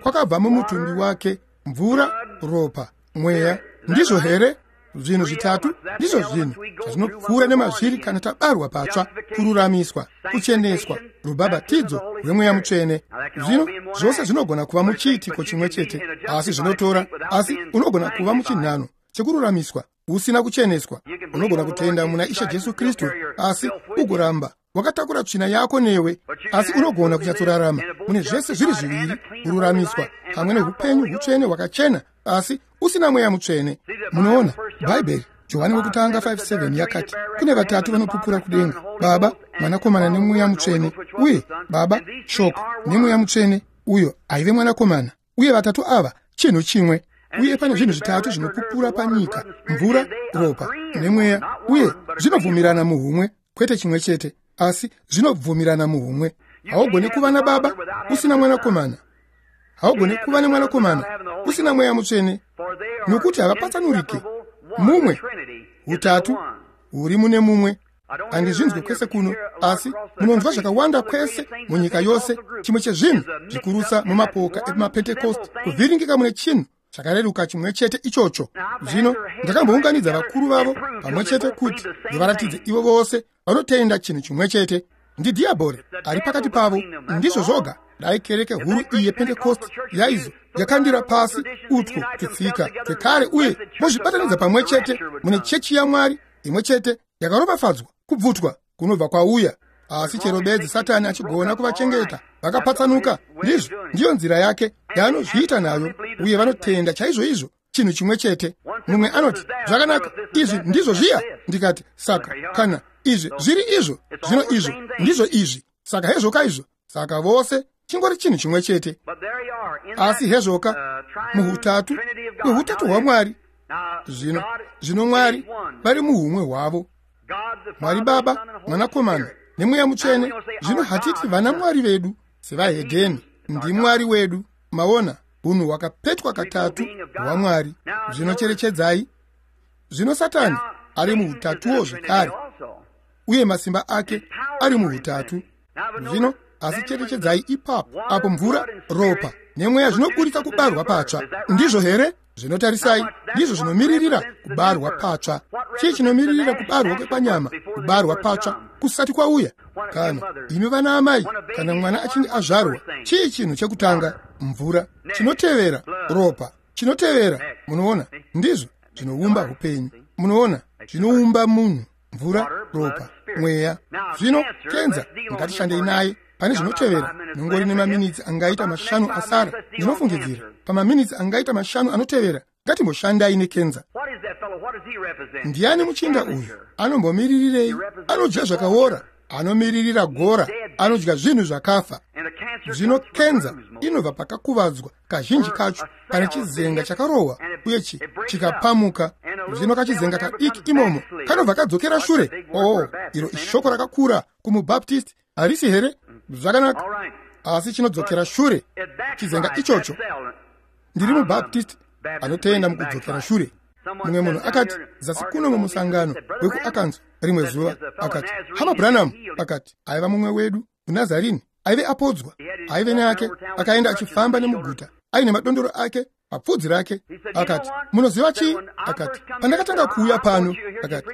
Kwakabva mumutumbi wake mvura, ropa, mweya. Ndizvo here? Zvinhu zvitatu ndizvo zvinhu zvatinopfuura nemazviri kana tabarwa patsva: kururamiswa, kucheneswa, rubhabhatidzo rwemweya mutsvene. Zvino zvose zvinogona kuva muchiitiko chimwe chete, asi zvinotora, asi unogona kuva muchinhano chekururamiswa usina kucheneswa. Unogona kutenda muna Ishe Jesu Kristu, asi ugoramba wakatakura tsvina yako newe. Asi unogona kunyatsorarama mune zvese zviri zviviri, kururamiswa pamwe neupenyu hutsvene hwakachena, asi usina mweya mutsvene. Munoona, Bhaibheri Johani wekutanga five seven yakati kune vatatu vanopupura kudenga: Baba, Mwanakomana nemweya mutsvene. Uye Baba, Shoko nemweya mutsvene, uyo aive Mwanakomana. Uye vatatu ava chinhu chimwe. Uye pane zvinhu zvitatu zvinopupura panyika: mvura, ropa nemweya. Uye zvinobvumirana muhumwe, kwete chimwe chete, asi zvinobvumirana muhumwe. Haugoni kuva naBaba usina Mwanakomana. Haugoni kuva neMwanakomana usina mweya mutsvene, nokuti havapatsanurike. Mumwe hutatu huri mune mumwe. Handizvinzwe kwese kuno, asi munonzwa zvakawanda kwese munyika yose. Chimwe chezvinhu zvikurusa mumapoka emapentekosti kuvhiringika mune chinhu chakareruka chimwe chete ichocho. Zvino ndakambounganidza vakuru vavo pamwe chete kuti ndivaratidze ivo vose vanotenda chinhu chimwe chete. Ndidhiabhori ari pakati pavo. Ndizvo zvoga. Dai kereke huru iyi yepentekosti yaizo yakandira pasi utwo tutsika twekare uye mozvibatanidza pamwe chete mune chechi yaMwari imwe chete yakaropafadzwa, kubvutwa kunobva kwauya. Asi chero bedzi Satani achigona kuvachengeta vakapatsanuka, ndizvo ndiyo nzira yake yaanozviita nayo, uye vanotenda chaizvo izvo chinhu chimwe chete. Mumwe anoti, zvakanaka, izvi ndizvo zviya. Ndikati, saka kana izvi zviri izvo, zvino izvo ndizvo izvi, saka hezvoka izvo. Saka vose chingori chinhu chimwe chete. Asi hezvoka muhutatu hwehutatu hwaMwari. Zvino zvino Mwari vari muhumwe hwavo, Mwari Baba, Mwanakomana nemweya mutsvene. Zvino hatiti vana Mwari vedu sevahedheni, ndiMwari wedu. Maona, hunhu hwakapetwa katatu hwaMwari. Zvino cherechedzai. Zvino Satani ari muhutatuwo zvekare, uye masimba ake ari muhutatu. Zvino asi cherechedzai ipapo apo mvura, ropa nemweya zvinoburitsa kubarwa patsva. Ndizvo here? Zvinotarisai, ndizvo zvinomiririra kubarwa patsva. Chii chinomiririra kubarwa kwepanyama? Kubarwa patsva kusati kwauya. Kana imi vana amai, kana mwana achinge azvarwa, chii chinhu chekutanga? Mvura. Chinotevera ropa. Chinotevera, munoona, ndizvo zvinoumba upenyu. Munoona, zvinoumba munhu: mvura, ropa, mweya. Zvino kenza, ngatishandei naye pane zvinotevera. Nongori nemaminitsi angaita mashanu asara, ndinofungidzira pamaminitsi angaita mashanu anotevera. Ngatimboshandai nekenza. Ndiani muchinda uyu? Anombomiririrei? Anodya zvakaora, anomiririra gora, anodya zvinhu zvakafa. Zvino kenza inobva pakakuvadzwa kazhinji kacho pane chizenga chakarohwa uye chikapamuka. Zvino kachizenga kadiki imomo kanobva kadzokera shure. Oo, iro ishoko rakakura kumubaptist, harisi here? Zvakanaka, asi chinodzokera shure chizenga ichocho. Ndiri mubaptist anotenda mukudzokera shure. Mumwe munhu akati zasi kuno mumusangano wekuArkansas rimwe zuva, akati, Hama Branham, akati, aiva mumwe wedu muNazarini, aive apodzwa, aive neake, akaenda achifamba nemuguta aine madondoro ake papfudzi rake. Akati, munoziva chii? Akati, pandakatanga kuuya pano, akati,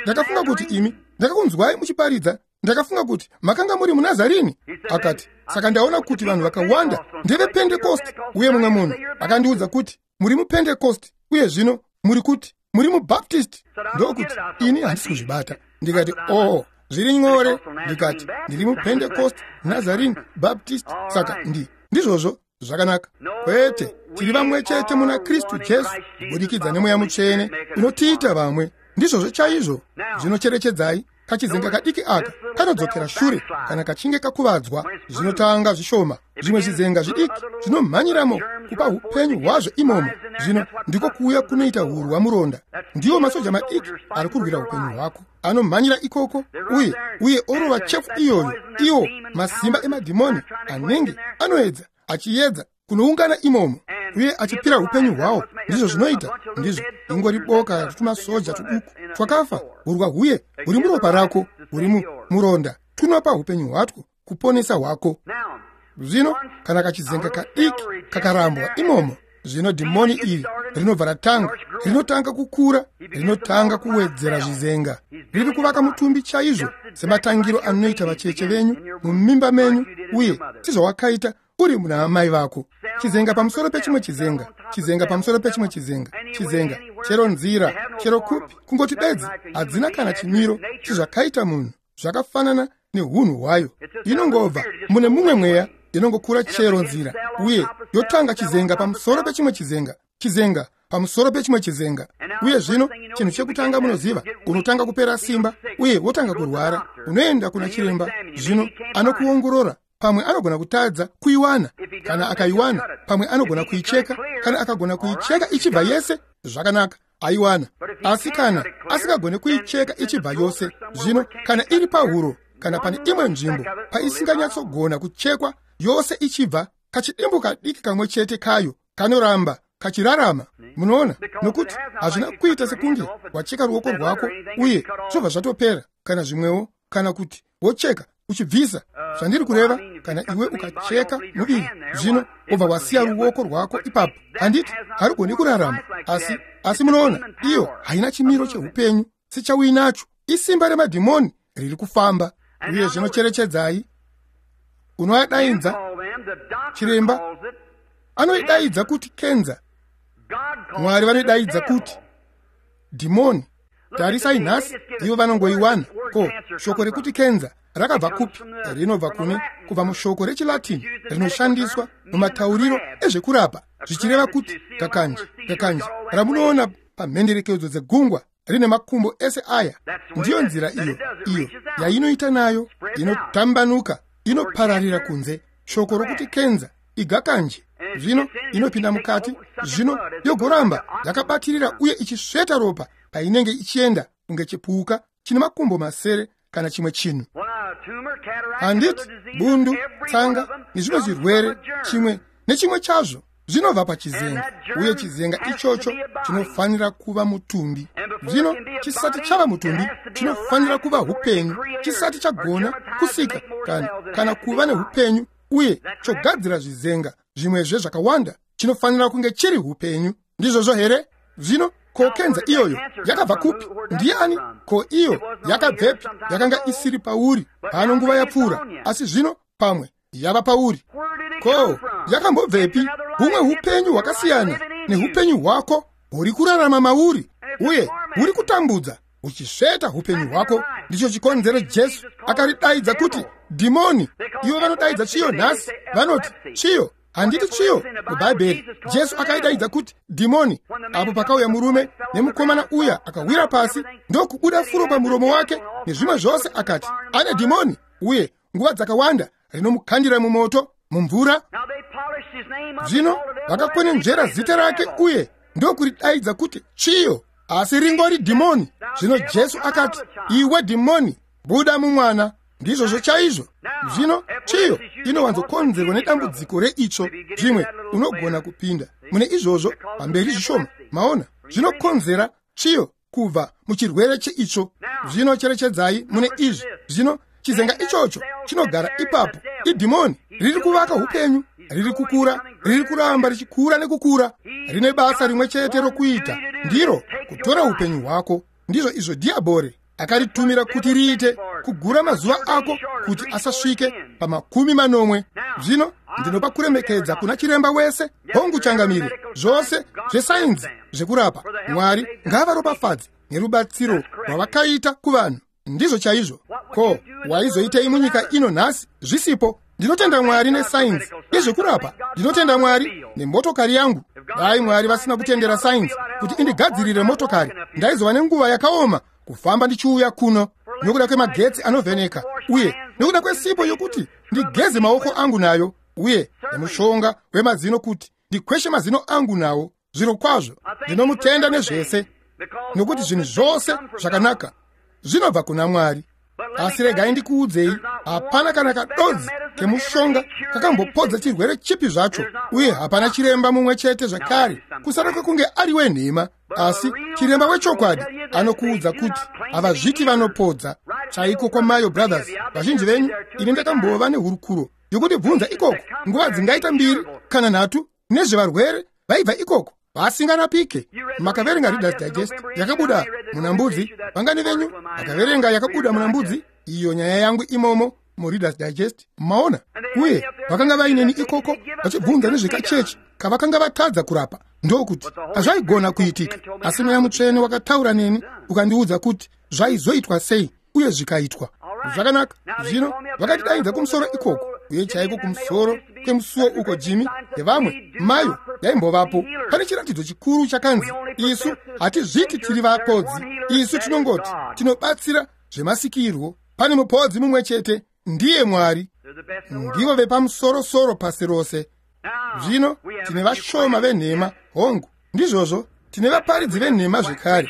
ndakafunga kuti imi, ndakakunzwai muchiparidza, ndakafunga kuti makanga muri muNazarini. Akati, saka ndaona kuti vanhu vakawanda ndevepentekosti, uye mumwe munhu akandiudza kuti muri mupentekosti, uye zvino muri kuti muri mubaptist. Ndokuti ini handisi kuzvibata. Ndikati, oo, zviri nyore. Ndikati, ndiri mupentekost, Nazarene, Baptist. Saka ndi ndizvozvo Zvakanaka. Kwete, tiri vamwe chete muna Kristu Jesu kubudikidza neMweya Mutsvene unotiita vamwe. Ndizvozvo chaizvo. Zvinocherechedzai, kachizenga kadiki aka kanodzokera shure kana kachinge kakuvadzwa. Zvinotanga zvishoma, zvimwe zvizenga zvidiki zvinomhanyiramo kupa upenyu hwazvo imomo. Zvino ndiko kuuya kunoita hurwa muronda. Ndiwo masoja madiki ari kurwira upenyu hwako, anomhanyira ikoko uye uye orova chefu iyoyo. Iwo masimba emadhimoni anenge anoedza achiedza kunoungana imomo uye achipira upenyu hwawo. Ndizvo zvinoita. Ndizvo ingori boka retumasoja tuduku twakafa. Hurwa huye huri muropa rako, huri muronda, tunopa upenyu hwatwo kuponesa hwako. Zvino kana kachizenga kadiki kakarambwa imomo, zvino dhimoni iri rinobva ratanga, rinotanga kukura, rinotanga kuwedzera zvizenga. Riri kuvaka mutumbi chaizvo sematangiro anoita vacheche venyu mumimba menyu, uye sezvawakaita uri muna amai vako. Chizenga pamusoro pechimwe chizenga, chizenga pamusoro pechimwe chizenga, chizenga, chero nzira, chero kupi, kungoti bedzi hadzina kana chimiro chezvakaita munhu, zvakafanana nehunhu hwayo. Inongobva mune mumwe mweya, inongokura chero nzira, uye yotanga chizenga pamusoro pechimwe chizenga, chizenga pamusoro pechimwe chizenga. Uye zvino chinhu chekutanga munoziva, unotanga kupera simba uye wotanga kurwara. Unoenda kuna chiremba, zvino anokuongorora. Pamwe anogona kutadza kuiwana. Kana akaiwana, pamwe anogona kuicheka. Kana akagona kuicheka ichibva yese, zvakanaka, aiwana. Asi kana asingagone kuicheka ichibva yose, zvino kana iri pahuro kana pane imwe nzvimbo paisinganyatsogona kuchekwa yose ichibva, kachidimbu kadiki kamwe chete kayo kanoramba kachirarama. Munoona, nokuti hazvina kuita sekunge wacheka ruoko rwako uye zvobva zvatopera, kana zvimwewo, kana kuti wocheka uchibvisa. Zvandiri kureva, kana iwe ukacheka muviri, zvino wobva wasiya ruoko rwako ipapo, handiti harugoni kurarama. Asi asi munoona, iyo haina chimiro cheupenyu sechauinacho. Isimba remadhimoni riri kufamba. Uye zvino cherechedzai, unoadaidza chiremba anoidaidza kuti kenza, Mwari vanoidaidza kuti dhimoni. Tarisai nhasi, ivo vanongoiwana. Ko shoko rekuti kenza rakabva kupi? Rinobva kune kubva mushoko rechiLatin rinoshandiswa mumatauriro ezvekurapa, zvichireva kuti gakanje. Gakanje ramunoona pamhenderekedzo dzegungwa rine makumbo ese aya. Ndiyo nzira iyo iyo yainoita nayo, inotambanuka, inopararira kunze. Shoko rokuti kenza igakanje. Zvino inopinda mukati, zvino yogoramba yakabatirira uye ichisveta ropa painenge ichienda kunge chipuka chine makumbo masere kana chimwe chinhu. Handiti bundu, tsanga nezvimwe zvirwere, chimwe nechimwe chazvo zvinobva pachizenga, uye chizenga ichocho chinofanira kuva mutumbi. Zvino chisati chava mutumbi chinofanira kuva upenyu. Chisati chagona kusika kana, kana kuva neupenyu uye chogadzira zvizenga zvimwezve zvakawanda, chinofanira kunge chiri upenyu. Ndizvozvo here? Zvino ko kenza iyoyo yakabva kupi? Ndiani? Ko iyo yakabvepi? Yakanga isiri pauri pano nguva yapfuura, asi zvino pamwe yava pauri. Ko yakambobvepi? Humwe upenyu hwakasiyana neupenyu hwako huri kurarama mauri, uye huri kutambudza uchisveta upenyu hwako. Ndicho chikonzero Jesu akaridaidza kuti dhimoni. Ivo vanodaidza chiyo nhasi, vanoti chiyo. Handiti chiyo muBhaibheri. Jesu akaidaidza kuti dhimoni. Apo pakauya murume nemukomana uya akawira pasi ndokubuda furo pamuromo wake nezvimwe zvose, akati ane dhimoni, uye nguva dzakawanda rinomukandira mumoto, mumvura. Zvino vakakwenenzvera zita rake uye ndokuridaidza kuti chiyo, asi ringori dhimoni. Zvino Jesu akati, iwe dhimoni, buda mumwana. Ndizvozvo chaizvo. Zvino chiyo inowanzokonzerwa nedambudziko reitsvo. Zvimwe unogona kupinda mune izvozvo pamberi zvishoma. Maona, zvinokonzera chiyo kubva muchirwere cheitsvo. Zvino cherechedzai mune izvi. Zvino chizenga ichocho chinogara ipapo idhimoni riri kuvaka upenyu, riri kukura, riri kuramba richikura nekukura. Rine basa rimwe chete rokuita, ndiro kutora upenyu hwako. Ndizvo izvo dhiabhori akaritumira kuti riite, kugura mazuva ako kuti asasvike pamakumi manomwe. Zvino ndinopa kuremekedza kuna chiremba wese, hongu changamire, zvose zvesainzi zvekurapa. Mwari ngavaropafadze nerubatsiro rwavakaita kuvanhu. Ndizvo chaizvo. Ko waizoitei munyika ino nhasi zvisipo? Ndinotenda Mwari nesainzi yezvekurapa. Ndinotenda Mwari nemotokari yangu. Dai Mwari vasina kutendera sainzi kuti indigadzirire motokari, ndaizova nenguva yakaoma kufamba ndichiuya kuno, nokuda kwemagetsi anovheneka uye nokuda kwesipo yokuti ndigeze maoko angu nayo, uye nemushonga wemazino kuti ndikweshe mazino angu nawo. Zviro kwazvo ndinomutenda nezvese, nokuti zvinhu zvose zvakanaka zvinobva kuna Mwari. Asi regai ndikuudzei, hapana kana kadonzi kemushonga kakambopodza chirwere chipi zvacho, uye hapana chiremba mumwe chete zvakare, kusara kwekunge ari wenhema. Asi chiremba wechokwadi anokuudza kuti havazviti vanopodza. Chaiko kwaMayo Brothers, vazhinji venyu ini ndakambova nehurukuro yokundibvunza ikoko nguva dzingaita mbiri kana nhatu nezvevarwere vaibva ikoko vasingarapike. Makaverenga Reader's Digest yakabuda muna Mbudzi? Vangani venyu vakaverenga yakabuda muna Mbudzi? Iyo nyaya yangu imomo muReader's Digest, maona. Uye vakanga vaineni ikoko vachibvunza nezvekachechi kavakanga vatadza kurapa, ndokuti hazvaigona kuitika. Asi Mweya Mutsvene wakataura neni ukandiudza kuti zvaizoitwa sei, uye zvikaitwa. Zvakanaka. Zvino vakatidaidza kumusoro ikoko, uye chaiko kumusoro kwemusuo uko Jimmy nevamwe Mayo yaimbovapo, pane chiratidzo chikuru chakanzi, isu hatizviti tiri vapodzi, isu tinongoti tinobatsira zvemasikirwo. Pane mupodzi mumwe chete, ndiye Mwari. Ndivo vepamusorosoro pasi rose. Zvino tine vashoma venhema, hongu, ndizvozvo, tine vaparidzi venhema zvekare.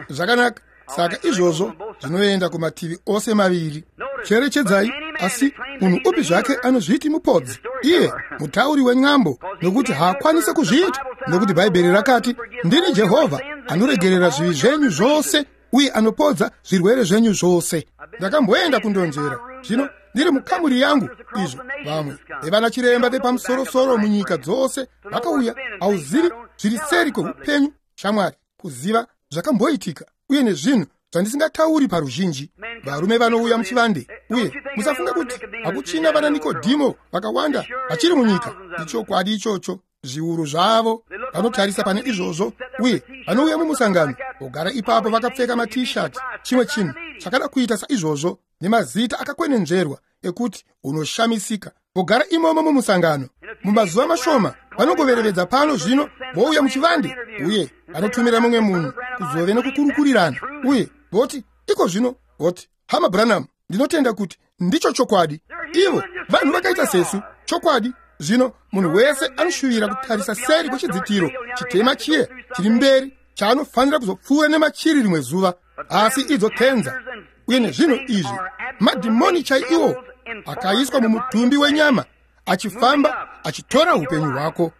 Zvakanaka. Saka izvozvo zvinoenda kumativi ose maviri. Cherechedzai, asi munhu upi zvake anozviti mupodzi, iye mutauri wen'ambo, nokuti haakwanisi kuzviita, nokuti Bhaibheri rakati, ndini Jehovha anoregerera zvivi zvenyu zvose uye anopodza zvirwere zvenyu zvose. Ndakamboenda kundonzvera zvino ndiri mukamuri yangu, izvo vamwe vevana chiremba vepamusorosoro munyika dzose vakauya. Hauzivi zviri seri kweupenyu, shamwari, kuziva zvakamboitika uye nezvinhu zvandisingatauri paruzhinji. Varume vanouya muchivande, uye musafunga kuti hakuchina vana Nikodhimo vakawanda vachiri munyika. Ichokwadi ichocho, zviuru zvavo vanotarisa pane izvozvo, uye vanouya mumusangano vogara ipapo vakapfeka matishati, chimwe chinhu chakada kuita saizvozvo, nemazita akakwenenzverwa ekuti unoshamisika, vogara imomo mumusangano. Mumazuva mashoma vanongoverevedza pano, zvino vouya muchivande, uye vanotumira mumwe munhu kuzove nekukurukurirana, uye voti iko zvino, voti, Hama Branham, ndinotenda kuti ndicho chokwadi. Ivo vanhu vakaita sesu, chokwadi. Zvino munhu wese anoshuvira kutarisa seri kwechidzitiro chitema chiye chiri mberi chaanofanira kuzopfuura nemachiri rimwe zuva. Asi idzo kenza uye nezvinhu izvi, madhimoni chaiwo akaiswa mumutumbi wenyama, achifamba achitora upenyu hwako.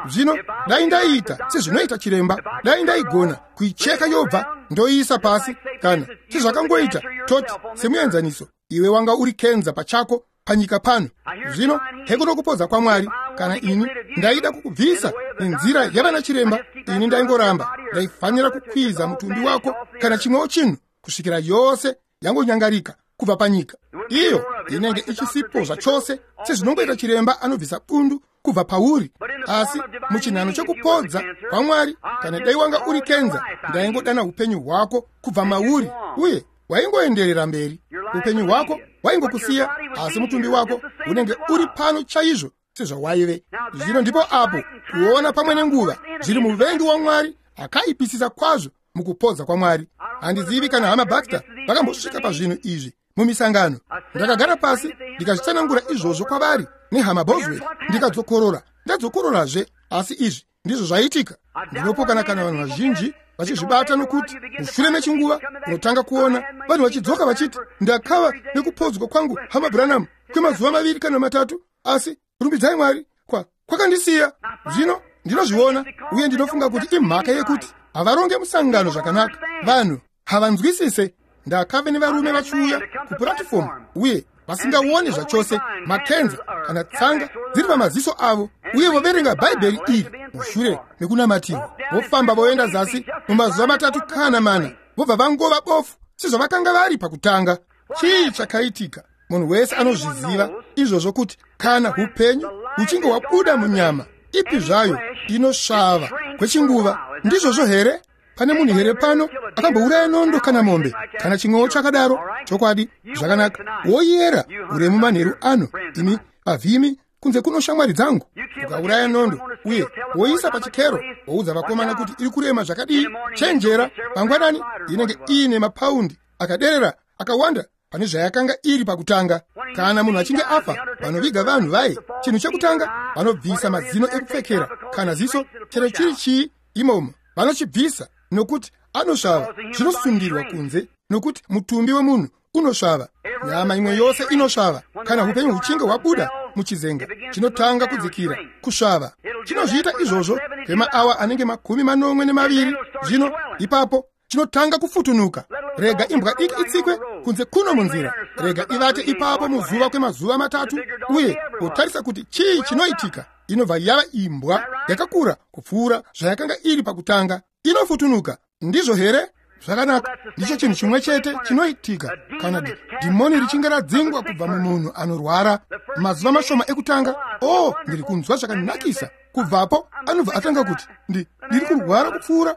Zvino dai ndaiita sezvinoita chiremba, dai ndaigona kuicheka yobva ndoiisa pasi, kana sezvakangoita toti semuenzaniso, iwe wanga uri kenza pachako panyika pano. Zvino hekuno kupodza kwaMwari. Kana ini ndaida kukubvisa nenzira yavana chiremba, ini ndaingoramba ndaifanira kukwiza mutumbi wako kana chimwewo chinhu kusvikira yose yangonyangarika kubva panyika. Iyo inenge ichisipo zvachose, sezvinongoita chiremba anobvisa bundu kubva pauri. Asi muchinhano chekupodza kwaMwari, kana dai wanga uri kenza, ndaingodana upenyu hwako kubva mauri, uye waingoenderera mberi. Upenyu hwako waingokusiya, asi mutumbi wako unenge uri pano chaizvo sezvawaive. Zvino ndipo apo kuona pamwe nenguva zviri muvengi waMwari akaipisisa kwazvo mukupodza kwaMwari. Handizivi kana Hama Baxter vakambosvika pazvinhu izvi mumisangano. Ndakagara pasi ndikazvitsanangura izvozvo kwavari nehama Bosworth, ndikadzokorora ndadzokororazve, asi izvi ndizvo zvaitika. Ndinopokana kana vanhu vazhinji vachizvibata, nokuti mushure mechinguva unotanga kuona vanhu vachidzoka vachiti, ndakava nekupodzwa kwangu Hama Branham kwemazuva maviri kana matatu, asi rumbidzai Mwari kwa kwakandisiya. Zvino ndinozviona, uye ndinofunga kuti imhaka yekuti havaronge musangano zvakanaka, vanhu havanzwisise. Ndakave nevarume vachiuya kupuratifomu uye vasingaoni zvachose makenza kana tsanga dziri pamaziso avo, uye voverenga Bhaibheri iri mushure mekunamatirwa, vofamba voenda zasi mumazuva matatu kana mana, vobva vangova bofu sezvavakanga vari pakutanga. Chii chakaitika? Munhu wese anozviziva izvozvo, kuti kana upenyu huchinge hwabuda munyama ipi zvayo inosvava kwechinguva. Ndizvozvo here? Pane munhu here pano akambouraya nondo kana mombe kana chimwewo chakadaro? Chokwadi, zvakanaka. Woyera uremu manheru ano, imi vavhimi kunze kuno shamwari dzangu. Ukauraya nondo uye woisa pachikero, woudza vakomana kuti iri kurema zvakadii. Chenjera, mangwanani inenge iine mapaundi akaderera akawanda pane zvayakanga iri pakutanga. Kana munhu achinge afa, vanoviga vanhu vaye, chinhu chekutanga vanobvisa mazino ekupfekera kana ziso, chero chiri chii imomo vanochibvisa, nokuti anosvava. Zvinosundirwa kunze, nokuti mutumbi wemunhu unosvava. Nyama imwe yose inosvava. Kana upenyu huchinge hwabuda muchizenga, chinotanga kudzikira kusvava. Chinozviita izvozvo kwemaawa anenge makumi manomwe nemaviri. Zvino ipapo chinotanga kufutunuka. Rega imbwa diki itsikwe kunze kuno munzira, rega ivate ipapo muzuva kwemazuva matatu, uye wotarisa kuti chii chinoitika. Inobva yava imbwa yakakura kupfuura zvayakanga iri pakutanga. Inofutunuka. Ndizvo here? Zvakanaka. Ndicho chinhu chimwe chete chinoitika kana dhimoni richinge radzingwa kubva mumunhu anorwara. Mazuva mashoma ekutanga, oh, ndiri kunzwa zvakanakisa. Kubvapo anobva atanga kuti, ndiri kurwara kupfuura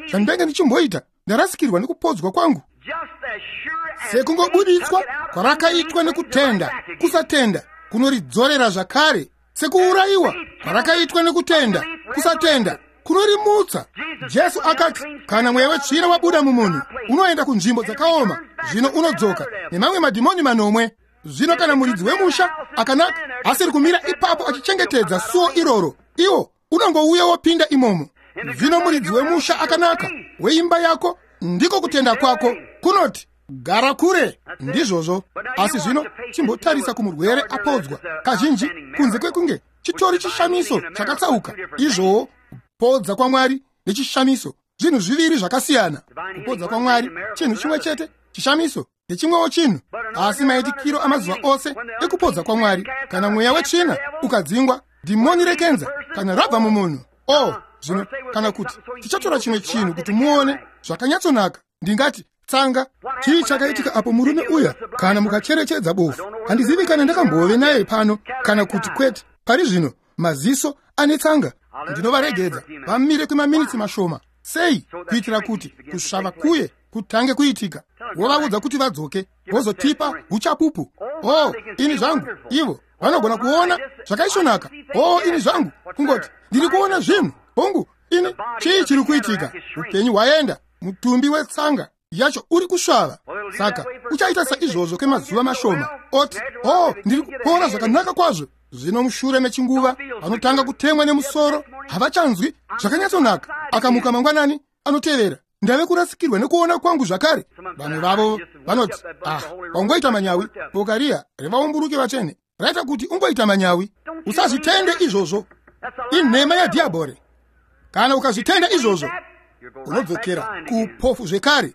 zvandenge ndichimboita, ndarasikirwa nekupodzwa kwangu. Sekungobuditswa kwarakaitwa nekutenda, kusatenda kunoridzorera zvakare. Sekuurayiwa kwarakaitwa nekutenda, kusatenda kunorimutsa. Jesu akati, kana mweya wetsvina wabuda mumunhu, unoenda kunzvimbo dzakaoma, zvino unodzoka nemamwe madhimoni manomwe. Zvino kana muridzi wemusha akanaka asiri kumira ipapo achichengetedza suo iroro, iwo unongouya wopinda imomo. Zvino muridzi wemusha akanaka weimba yako, ndiko kutenda kwako kunoti gara kure. Ndizvozvo. Asi zvino chimbotarisa kumurwere apodzwa. Kazhinji kunze kwekunge chitori chishamiso chakatsauka, izvowo kupodza kwaMwari nechishamiso zvinhu zviviri zvakasiyana. Kupodza kwaMwari chinhu chimwe chete, chishamiso ndechimwewo chinhu. Asi maitikiro amazuva ose ekupodza kwaMwari, kana mweya wetsvina ukadzingwa, dhimoni rekenza kana rabva mumunhu, oh, zvino kana kuti tichatora chimwe chinhu kuti muone zvakanyatsonaka, ndingati tsanga. Chii chakaitika apo murume uya? Kana mukacherechedza bofu, handizivi kana ndakambove naye pano kana kuti kwete. Pari zvino maziso ane tsanga. Ndinovaregedza vamire kwemaminitsi mashoma. Sei? Kuitira kuti kusvava kuye kutange kuitika. Wovaudza kuti vadzoke, vozotipa uchapupu. Oh, ini zvangu, ivo vanogona kuona zvakaisvonaka. Oh, ini zvangu, kungoti ndiri kuona zvinhu. Hongu, ini chii chiri kuitika? Upenyu hwaenda, mutumbi wetsanga yacho uri kusvava. Saka uchaita saizvozvo kwemazuva mashoma, oti, oh, ndiri kupora zvakanaka kwazvo. Zvino mushure mechinguva vanotanga kutemwa nemusoro, havachanzwi zvakanyatsonaka. Akamuka mangwanani anotevera, ndave kurasikirwa nekuona kwangu zvakare. Vamwe vavo vanoti, ah, wangoita manyawi. Boka riya revaumburuke vatsvene raita kuti ungoita manyawi. Usazvitende izvozvo, inhema yadhiabhore. Kana ukazvitenda izvozvo, unodzokera kuupofu zvekare.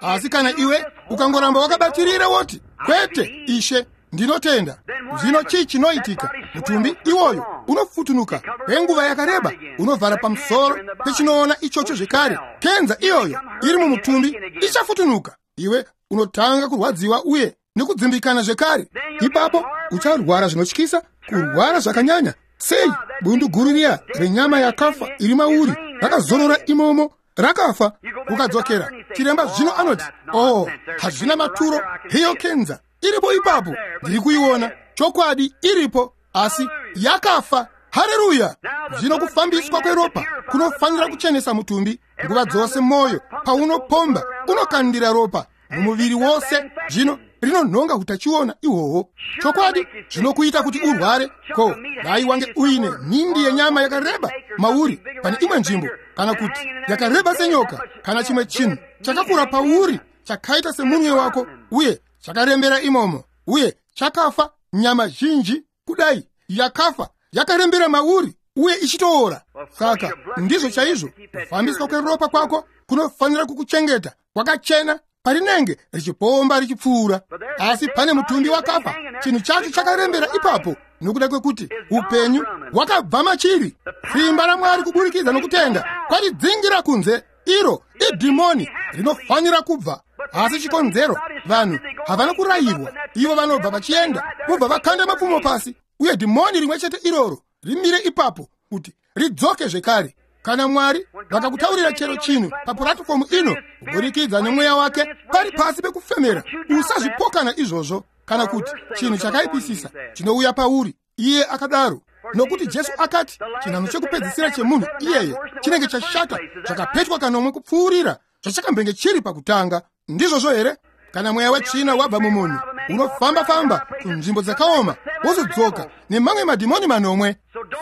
Asi kana iwe ukangoramba wakabatirira woti, kwete Ishe, ndinotenda, zvino chii chinoitika? Mutumbi iwoyo unofutunuka kwenguva yakareba, unovhara pamusoro pechinoona ichocho zvekare. Kenza iyoyo iri mumutumbi ichafutunuka. Iwe unotanga kurwadziwa uye nekudzimbikana zvekare. Ipapo ucharwara zvinotyisa, kurwara zvakanyanya. Sei? Bundu guru riya renyama yakafa iri mauri rakazorora imomo, rakafa. Ukadzokera, chiremba zvino anoti, oh, hazvina maturo, heyo kenza iripo ipapo, ndiri kuiona. Chokwadi iripo, asi yakafa. Hareruya! Zvino kufambiswa kweropa kunofanira kuchenesa mutumbi. Nguva dzose moyo paunopomba unokandira ropa mumuviri wose, zvino rinonhonga utachiona ihwohwo. Chokwadi zvinokuita kuti urware. Ko dai wange uine nhindi yenyama yakareba mauri pane imwe nzvimbo, kana kuti yakareba senyoka, kana chimwe chinhu chakakura pauri chakaita semunwe wako, uye chakarembera imomo, uye chakafa, nyama zhinji kudai yakafa yakarembera mauri uye ichitoora. Saka ndizvo chaizvo kufambiswa kweropa kwako kunofanira kukuchengeta kwakachena parinenge richipomba richipfuura. Asi pane mutumbi wakafa, chinhu chacho chakarembera ipapo, nokuda kwekuti upenyu hwakabva machiri. Simba raMwari kuburikidza nokutenda kwaridzingira kunze. Iro idhimoni rinofanira kubva. Asi chikonzero vanhu havana kurayirwa, ivo vanobva vachienda vobva vakanda mapfumo pasi, uye dhimoni rimwe chete iroro rimire ipapo kuti ridzoke zvekare. Kana Mwari vakakutaurira chero chinhu papuratifomu ino kuburikidza nemweya wake pari pasi pekufemera, usazvipokana izvozvo. Kana kuti chinhu chakaipisisa chinouya pauri. Iye akadaro. Nokuti Jesu akati chinhano chekupedzisira chemunhu iyeye chinenge chashata chakapetwa kanomwe kupfuurira zvachakambenge chiri pakutanga. Ndizvozvo here? Kana mweya wetsvina wabva mumunhu, unofamba-famba kunzvimbo dzakaoma, wozodzoka nemamwe madhimoni manomwe.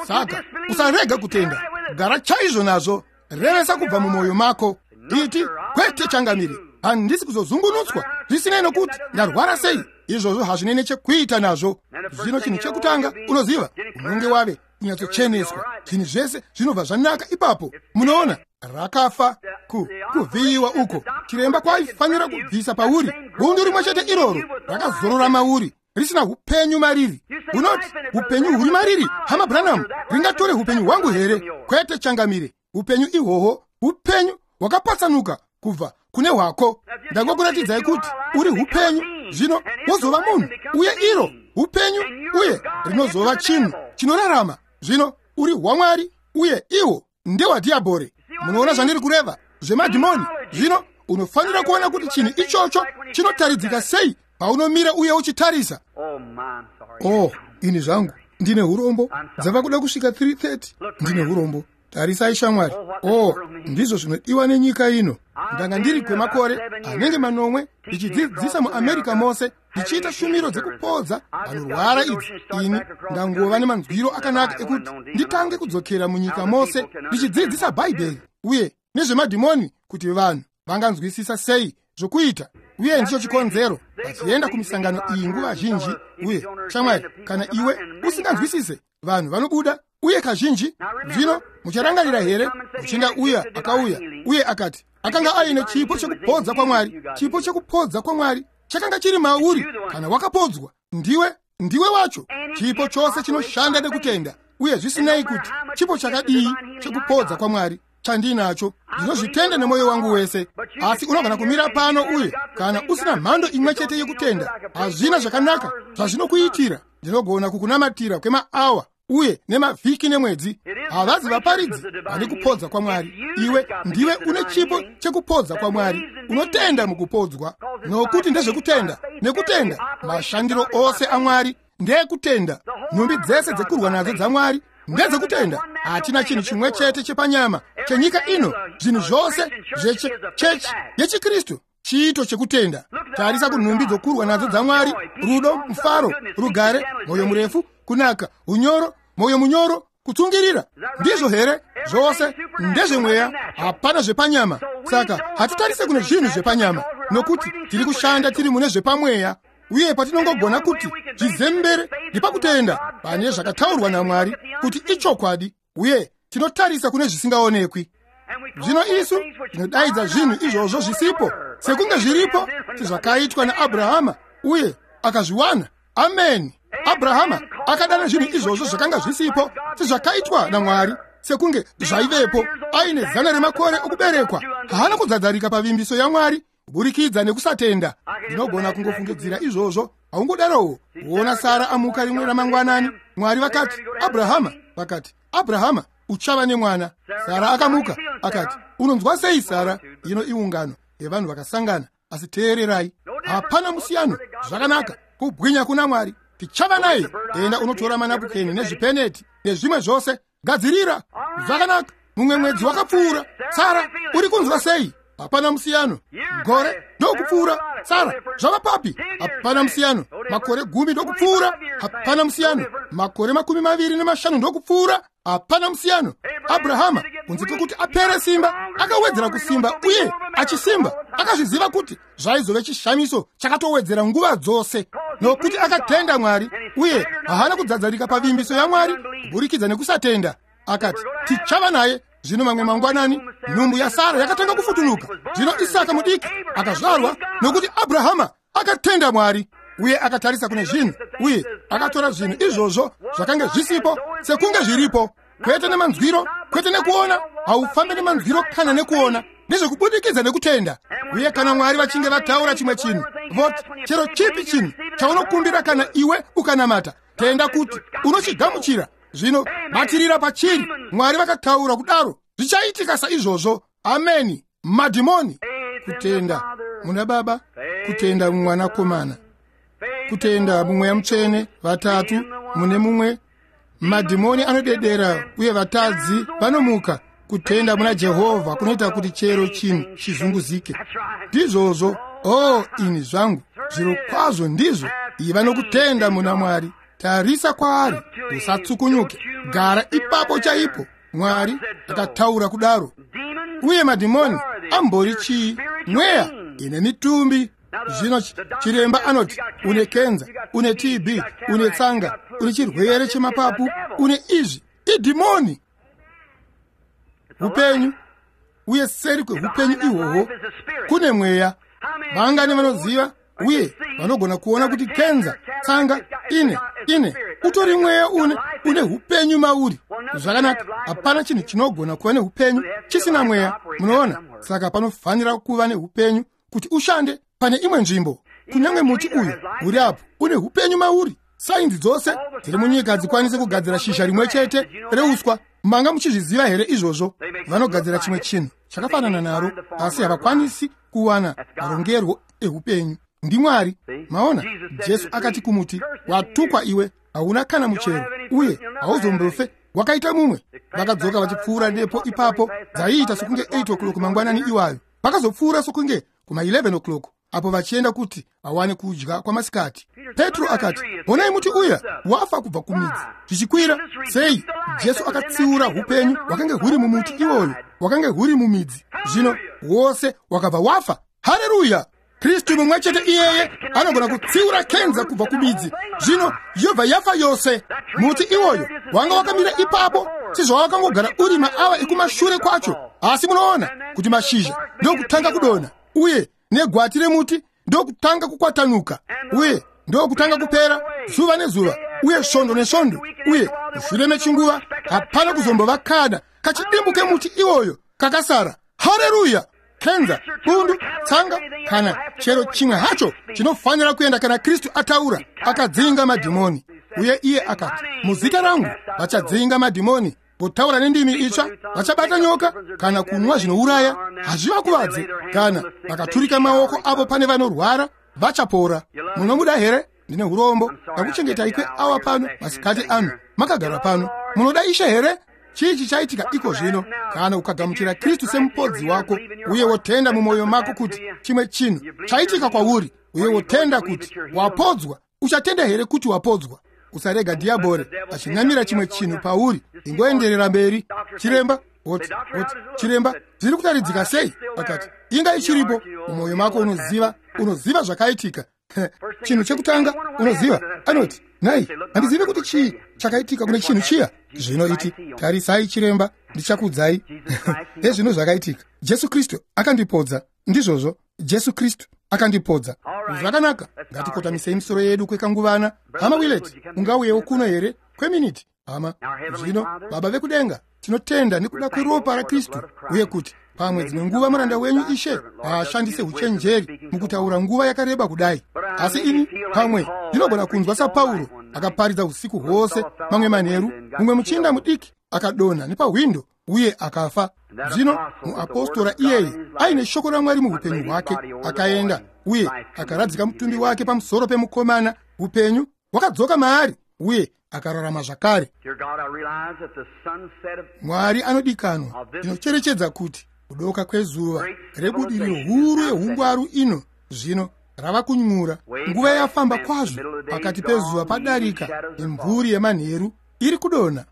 Saka usarega kutenda, gara chaizvo nazvo, revesa kubva mumwoyo mako. Iti, kwete changamire, handisi kuzozungunutswa, zvisinei nokuti ndarwara sei. Izvozvo hazvinei nechekuita nazvo. Zvino chinhu chekutanga unoziva, unonge wave kunyatsocheneswa, zvinhu zvese zvinobva zvanaka ipapo. Munoona, rakafa ku kuvhiyiwa uko chiremba kwaifanira kubvisa pauri bundu rimwe chete iroro rakazorora mauri, risina upenyu mariri. Unoti, upenyu huri mariri, hama Branham, ringatore upenyu hwangu here? Kwete changamire, upenyu ihwohwo upenyu hwakapatsanuka kubva kune hwako. Ndangokuratidzai kuti uri upenyu, zvino wozova munhu, uye iro upenyu, uye rinozova chinhu chinorarama. Zvino uri hwaMwari, uye iwo ndehwadhiabhori. Munoona zvandiri kureva zvemadhimoni? Zvino unofanira kuona kuti chinhu ichocho chinotaridzika sei paunomira uye uchitarisa. Oh, ini zvangu ndine urombo, dzava kuda kusvika three thirty. Ndine urombo. Tarisai shamwari. Oh, ndizvo zvinodiwa nenyika ino. Ndanga ndiri kwemakore anenge manomwe ndichidzidzisa muAmerica mose, ndichiita shumiro dzekupodza vanorwara idzi. Ini ndangova nemanzwiro akanaka ekuti nditange kudzokera munyika mose ndichidzidzisa Bhaibheri uye nezvemadhimoni, kuti vanhu vanganzwisisa sei zvokuita. Uye ndicho chikonzero vachienda kumisangano iyi nguva zhinji. Uye shamwari, kana iwe usinganzwisise, vanhu vanobuda. Uye kazhinji, zvino mucharangarira here muchinda uya akauya uye akati akanga aine chipo chekupodza kwaMwari? Chipo chekupodza kwaMwari chakanga chiri mauri kana wakapodzwa. Ndiwe ndiwe wacho. Chipo chose chinoshanda nekutenda. Uye zvisinei kuti chipo chakadii chekupodza kwaMwari chandinacho, ndinozvitenda nemwoyo wangu wese. Asi unogona kumira pano uye kana usina mhando imwe chete yekutenda, hazvina zvakanaka zvazvinokuitira. Ndinogona kukunamatira kwemaawa uye nemavhiki nemwedzi. Havazi vaparidzi vane kupodza kwaMwari. Iwe ndiwe une chipo chekupodza kwaMwari, unotenda mukupodzwa, nokuti ndezvekutenda. Nekutenda mashandiro ose aMwari ndekutenda. Nhumbi dzese dzekurwa nadzo dzaMwari ndezekutenda. Hatina chinhu chimwe chete chepanyama chenyika ino. Zvinhu zvose zvechechi yechiKristu chiito chekutenda. Tarisa kunhumbi dzokurwa nadzo dzaMwari: rudo, mufaro, rugare, mwoyo murefu, kunaka, unyoro, mwoyo munyoro, kutsungirira. Ndizvo here? Zvose ndezvemweya, hapana zvepanyama. Saka hatitarise kune zvinhu zvepanyama, nokuti tiri kushanda tiri mune zvepamweya. Uye patinongogona kuti zvizembere ndepakutenda pane zvakataurwa naMwari kuti ichokwadi, uye tinotarisa kune zvisingaonekwi. Zvino isu tinodaidza zvinhu izvozvo zvisipo sekunge zviripo, sezvakaitwa naAbrahama, uye akazviwana. Ameni. Abrahama akadana zvinhu izvozvo zvakanga zvisipo sezvakaitwa naMwari sekunge zvaivepo. Aine zana remakore okuberekwa, haana kudzadzarika pavimbiso yaMwari kuburikidza nekusatenda. Ndinogona kungofungidzira izvozvo. Haungodarowo. Kuona Sara amuka rimwe ramangwanani, Mwari vakati, Abrahama, vakati, Abrahama, uchava nemwana. Sara akamuka akati, unonzwa sei Sara? Ino iungano yevanhu vakasangana, asi teererai, hapana musiyano. Zvakanaka, kubwinya kuna Mwari, tichava naye. Enda unotora manapukeni nezvipeneti nezvimwe zvose, gadzirira. Zvakanaka. Mumwe mwedzi wakapfuura. Sara, uri kunzwa sei? Hapana musiyano. Gore ndokupfuura. Sara, zvava papi? Hapana musiyano. Makore gumi ndokupfuura. Hapana musiyano. Makore makumi maviri nemashanu ndokupfuura. Hapana musiyano. Abrahama, kunze kwekuti apere simba, akawedzera kusimba uye achisimba. Akazviziva kuti zvaizove chishamiso chakatowedzera nguva dzose, nokuti akatenda Mwari uye haana kudzadzarika pavimbiso yaMwari kuburikidza nekusatenda. Akati, tichava naye. Zvino mamwe mangwanani nhumbu yaSara yakatanga kufutunuka. Zvino Isaka mudiki akazvarwa, nokuti Abrahama akatenda Mwari uye akatarisa kune zvinhu, uye akatora zvinhu izvozvo zvakanga zvisipo sekunge zviripo. Kwete nemanzwiro, kwete nekuona. Haufambi nemanzwiro kana nekuona, ndezvekubudikidza nekutenda. Uye kana Mwari vachinge vataura chimwe chinhu, voti chero chipi chinhu chaunokumbira kana iwe ukanamata, tenda kuti unochigamuchira. Zvino batirira pachiri. Mwari vakataura kudaro, zvichaitika saizvozvo. Ameni. Madhimoni. Kutenda muna Baba, kutenda mumwanakomana, Kutenda mumweya mutsvene, vatatu mune mumwe. Madhimoni anodedera uye vatadzi vanomuka. Kutenda muna Jehovha kunoita kuti chero chinhu chizunguzike. Ndizvozvo. Oh, ini zvangu, zviro kwazvo ndizvo. Iva nokutenda muna Mwari. Tarisa kwaari, usatsukunyuke. Gara ipapo chaipo. Mwari akataura kudaro. Uye madhimoni ambori chii? Mweya ine mitumbi. Zvino chiremba anoti une kenza, une T B, une tsanga, une chirwere chemapapu, une izvi. Idhimoni. Upenyu, uye seri kweupenyu ihwohwo kune mweya. Vangani vanoziva uye vanogona kuona kuti kenza, tsanga, ine ine utori mweya une une upenyu mauri. Zvakanaka, hapana chinhu chinogona kuva neupenyu chisina mweya, munoona. Saka panofanira kuva neupenyu kuti ushande pane imwe nzvimbo. Kunyange muti uyu uri apo une upenyu mauri. Sainzi dzose dziri munyika hadzikwanisi kugadzira shizha rimwe chete reuswa. Manga muchizviziva here izvozvo? Vanogadzira chimwe chinhu chakafanana naro, asi havakwanisi kuwana marongerwo eupenyu. NdiMwari. Maona, Jesu akati kumuti, watukwa iwe, hauna kana muchero, uye hauzombofe wakaita mumwe. Vakadzoka vachipfuura nepo ipapo, dzaiita sokunge eight o'clock mangwanani iwayo. Vakazopfuura sokunge kuma eleven o'clock apo vachienda kuti vawane kudya kwamasikati. Petro akati, honai muti uya wafa kubva kumidzi zvichikwira. Sei? Jesu akatsiura upenyu hwakange huri mumuti iwoyo, hwakange huri mumidzi. Zvino wose wakabva wafa. Haleluya! Kristu mumwe chete iyeye anogona kutsiura kenza kubva kumidzi, zvino yobva yafa yose. Muti iwoyo wanga wakamira ipapo sezvawakangogara uri maawa ekumashure kwacho. Asi munoona kuti mashizha ndokutanga kudonha, uye negwati remuti ndokutanga kukwatanuka, uye ndokutanga kupera zuva nezuva, uye svondo nesvondo, uye mushure mechinguva hapana kuzombova kana kachidimbu kemuti iwoyo kakasara. Haleluya! Kenza, bundu, tsanga, kana chero chimwe hacho chinofanira kuenda kana Kristu ataura. Akadzinga madhimoni. Uye iye akati, muzita rangu vachadzinga madhimoni, votaura nendimi itsva, vachabata nyoka kana kunwa zvinouraya, hazvivakuvadze. Kana vakaturika maoko avo pane vanorwara, vachapora. Munomuda here? Ndine urombo ndakuchengetai kweawa pano masikati ano, makagara pano. Munoda Ishe here? Chii chichaitika iko zvino kana ukagamuchira Kristu semupodzi wako, uye wotenda mumwoyo mako kuti chimwe chinhu chaitika kwauri, uye wotenda kuti wapodzwa? Uchatenda here kuti wapodzwa? Usarega dhiabhore achinamira chimwe chinhu pauri. Ingoenderera mberi. Chiremba oti oti chiremba, zviri kutaridzika sei? Akati, inga ichiripo mumwoyo mako. Unoziva, unoziva zvakaitika. Chinhu chekutanga unoziva, anoti, nai, handizivi kuti chii chakaitika kune chinhu chiya. Zvino iti, tarisai chiremba, ndichakuudzai ezvino zvakaitika. Jesu Kristu akandipodza. Ndizvozvo, Jesu Kristu akandipodza. Zvakanaka, ngatikotamisei misoro yedu kwekanguvana. Hama Willet, ungauyewo kuno here kweminiti? Hama, zvino Baba vekudenga, tinotenda nekuda kweropa raKristu, uye kuti pamwe dzimwe nguva muranda wenyu Ishe haashandise uchenjeri mukutaura nguva yakareba kudai. Asi ini pamwe ndinogona kunzwa saPauro akaparidza usiku hwose mamwe manheru, mumwe muchinda mudiki akadonha nepahwindo uye akafa. Zvino muapostora iyeye aine shoko raMwari muupenyu hwake akaenda uye akaradzika mutumbi wake pamusoro pemukomana. Upenyu hwakadzoka maari uye akararama zvakare. Mwari anodikanwa, ndinocherechedza kuti kudoka kwezuva rebudiriro huru yeungwaru ino zvino rava kunyura. Nguva yafamba kwazvo, pakati pezuva padarika, imvuri yemanheru iri kudonha.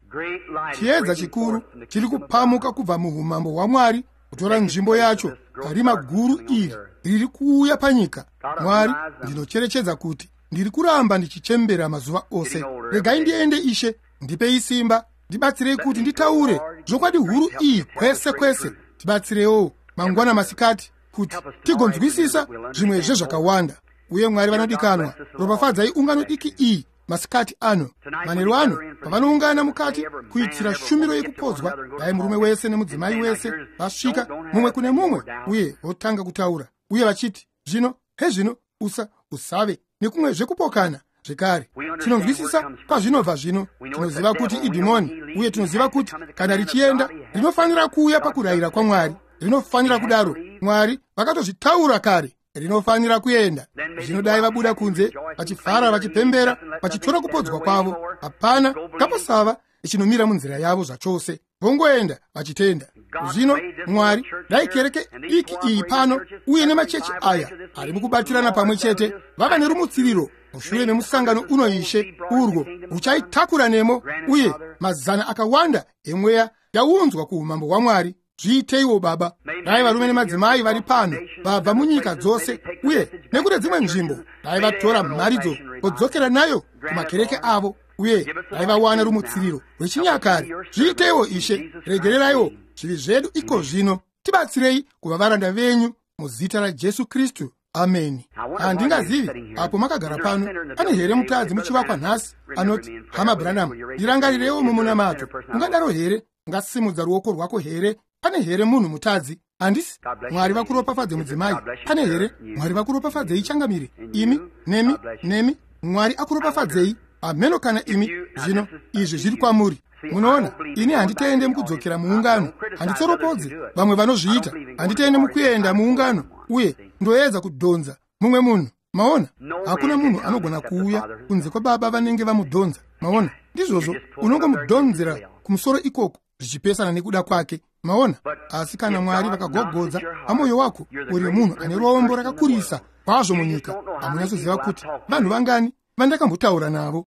Chiedza chikuru chiri kupamuka kubva muumambo hwaMwari kutora nzvimbo yacho parima guru iri riri kuuya panyika. Mwari, ndinocherechedza kuti ndiri kuramba ndichichembera mazuva ose. Regai ndiende Ishe, ndipei simba, ndibatsirei kuti nditaure zvokwadi huru iyi kwese kwese. Tibatsirewo mangwana masikati kuti tigonzwisisa zvimwe zvezvakawanda. Uye Mwari vanodikanwa, ropafadzai ungano diki iyi masikati ano, manheru ano, pavanoungana mukati kuitira shumiro yekupodzwa. Dai murume wese nemudzimai wese vasvika mumwe kune mumwe uye votanga kutaura uye vachiti, zvino hezvino, usa usave nekumwe zvekupokana zvekare. Tinonzwisisa kwazvinobva zvino. Tinoziva kuti idhimoni, uye tinoziva kuti kana richienda rinofanira kuuya pakurayira kwaMwari. Rinofanira kudaro. Mwari vakatozvitaura kare. Rinofanira kuenda. Zvino dai vabuda kunze vachifara, vachipembera, vachitora kupodzwa kwavo. Hapana ngapasava ichinomira munzira yavo zvachose. Vongoenda vachitenda. Zvino Mwari, dai kereke diki iyi pano uye nemachechi aya ari mukubatirana pamwe chete vava nerumutsiriro mushure memusangano uno, Ishe, urwo ruchaitakura nemo uye mazana akawanda emweya yaunzwa kuumambo hwaMwari. Zviiteiwo Baba. Dai varume nemadzimai vari pano vabva munyika dzose uye nekune dzimwe nzvimbo, dai vatora mharidzo vodzokera nayo kumakereke avo, uye dai vawana rumutsiriro rwechinyakare. Zviiteiwo Ishe. Regereraiwo zvivi zvedu iko zvino. Tibatsirei kuva varanda venyu muzita raJesu Kristu. Ameni. Handingazivi apo makagara pano, pane here mutadzi muchivakwa nhasi anoti, "Hama Branham, ndirangarirewo mumunamato"? Ungadaro here? Ungasimudza ruoko rwako here? Pane here munhu mutadzi? Handisi. Mwari vakuropafadze, mudzimai. Pane here? Mwari vakuropafadzei, changamire. Imi, nemi, nemi. Mwari akuropafadzei. Hameno kana imi. Zvino izvi zviri kwamuri. Munoona, ini handitende mukudzokera muungano. Handitsoropodzi vamwe vanozviita. Handitende mukuenda muungano uye ndoedza kudhonza mumwe munhu. Maona, hakuna munhu anogona kuuya kunze kwababa vanenge vamudhonza. Maona, ndizvozvo. Unongomudhonzera kumusoro ikoko zvichipesana nekuda kwake. Maona? Asi kana Mwari vakagogodza pamwoyo wako, uri munhu ane rombo rakakurisa kwazvo munyika. Hamunyatsoziva kuti vanhu vangani vandakambotaura navo.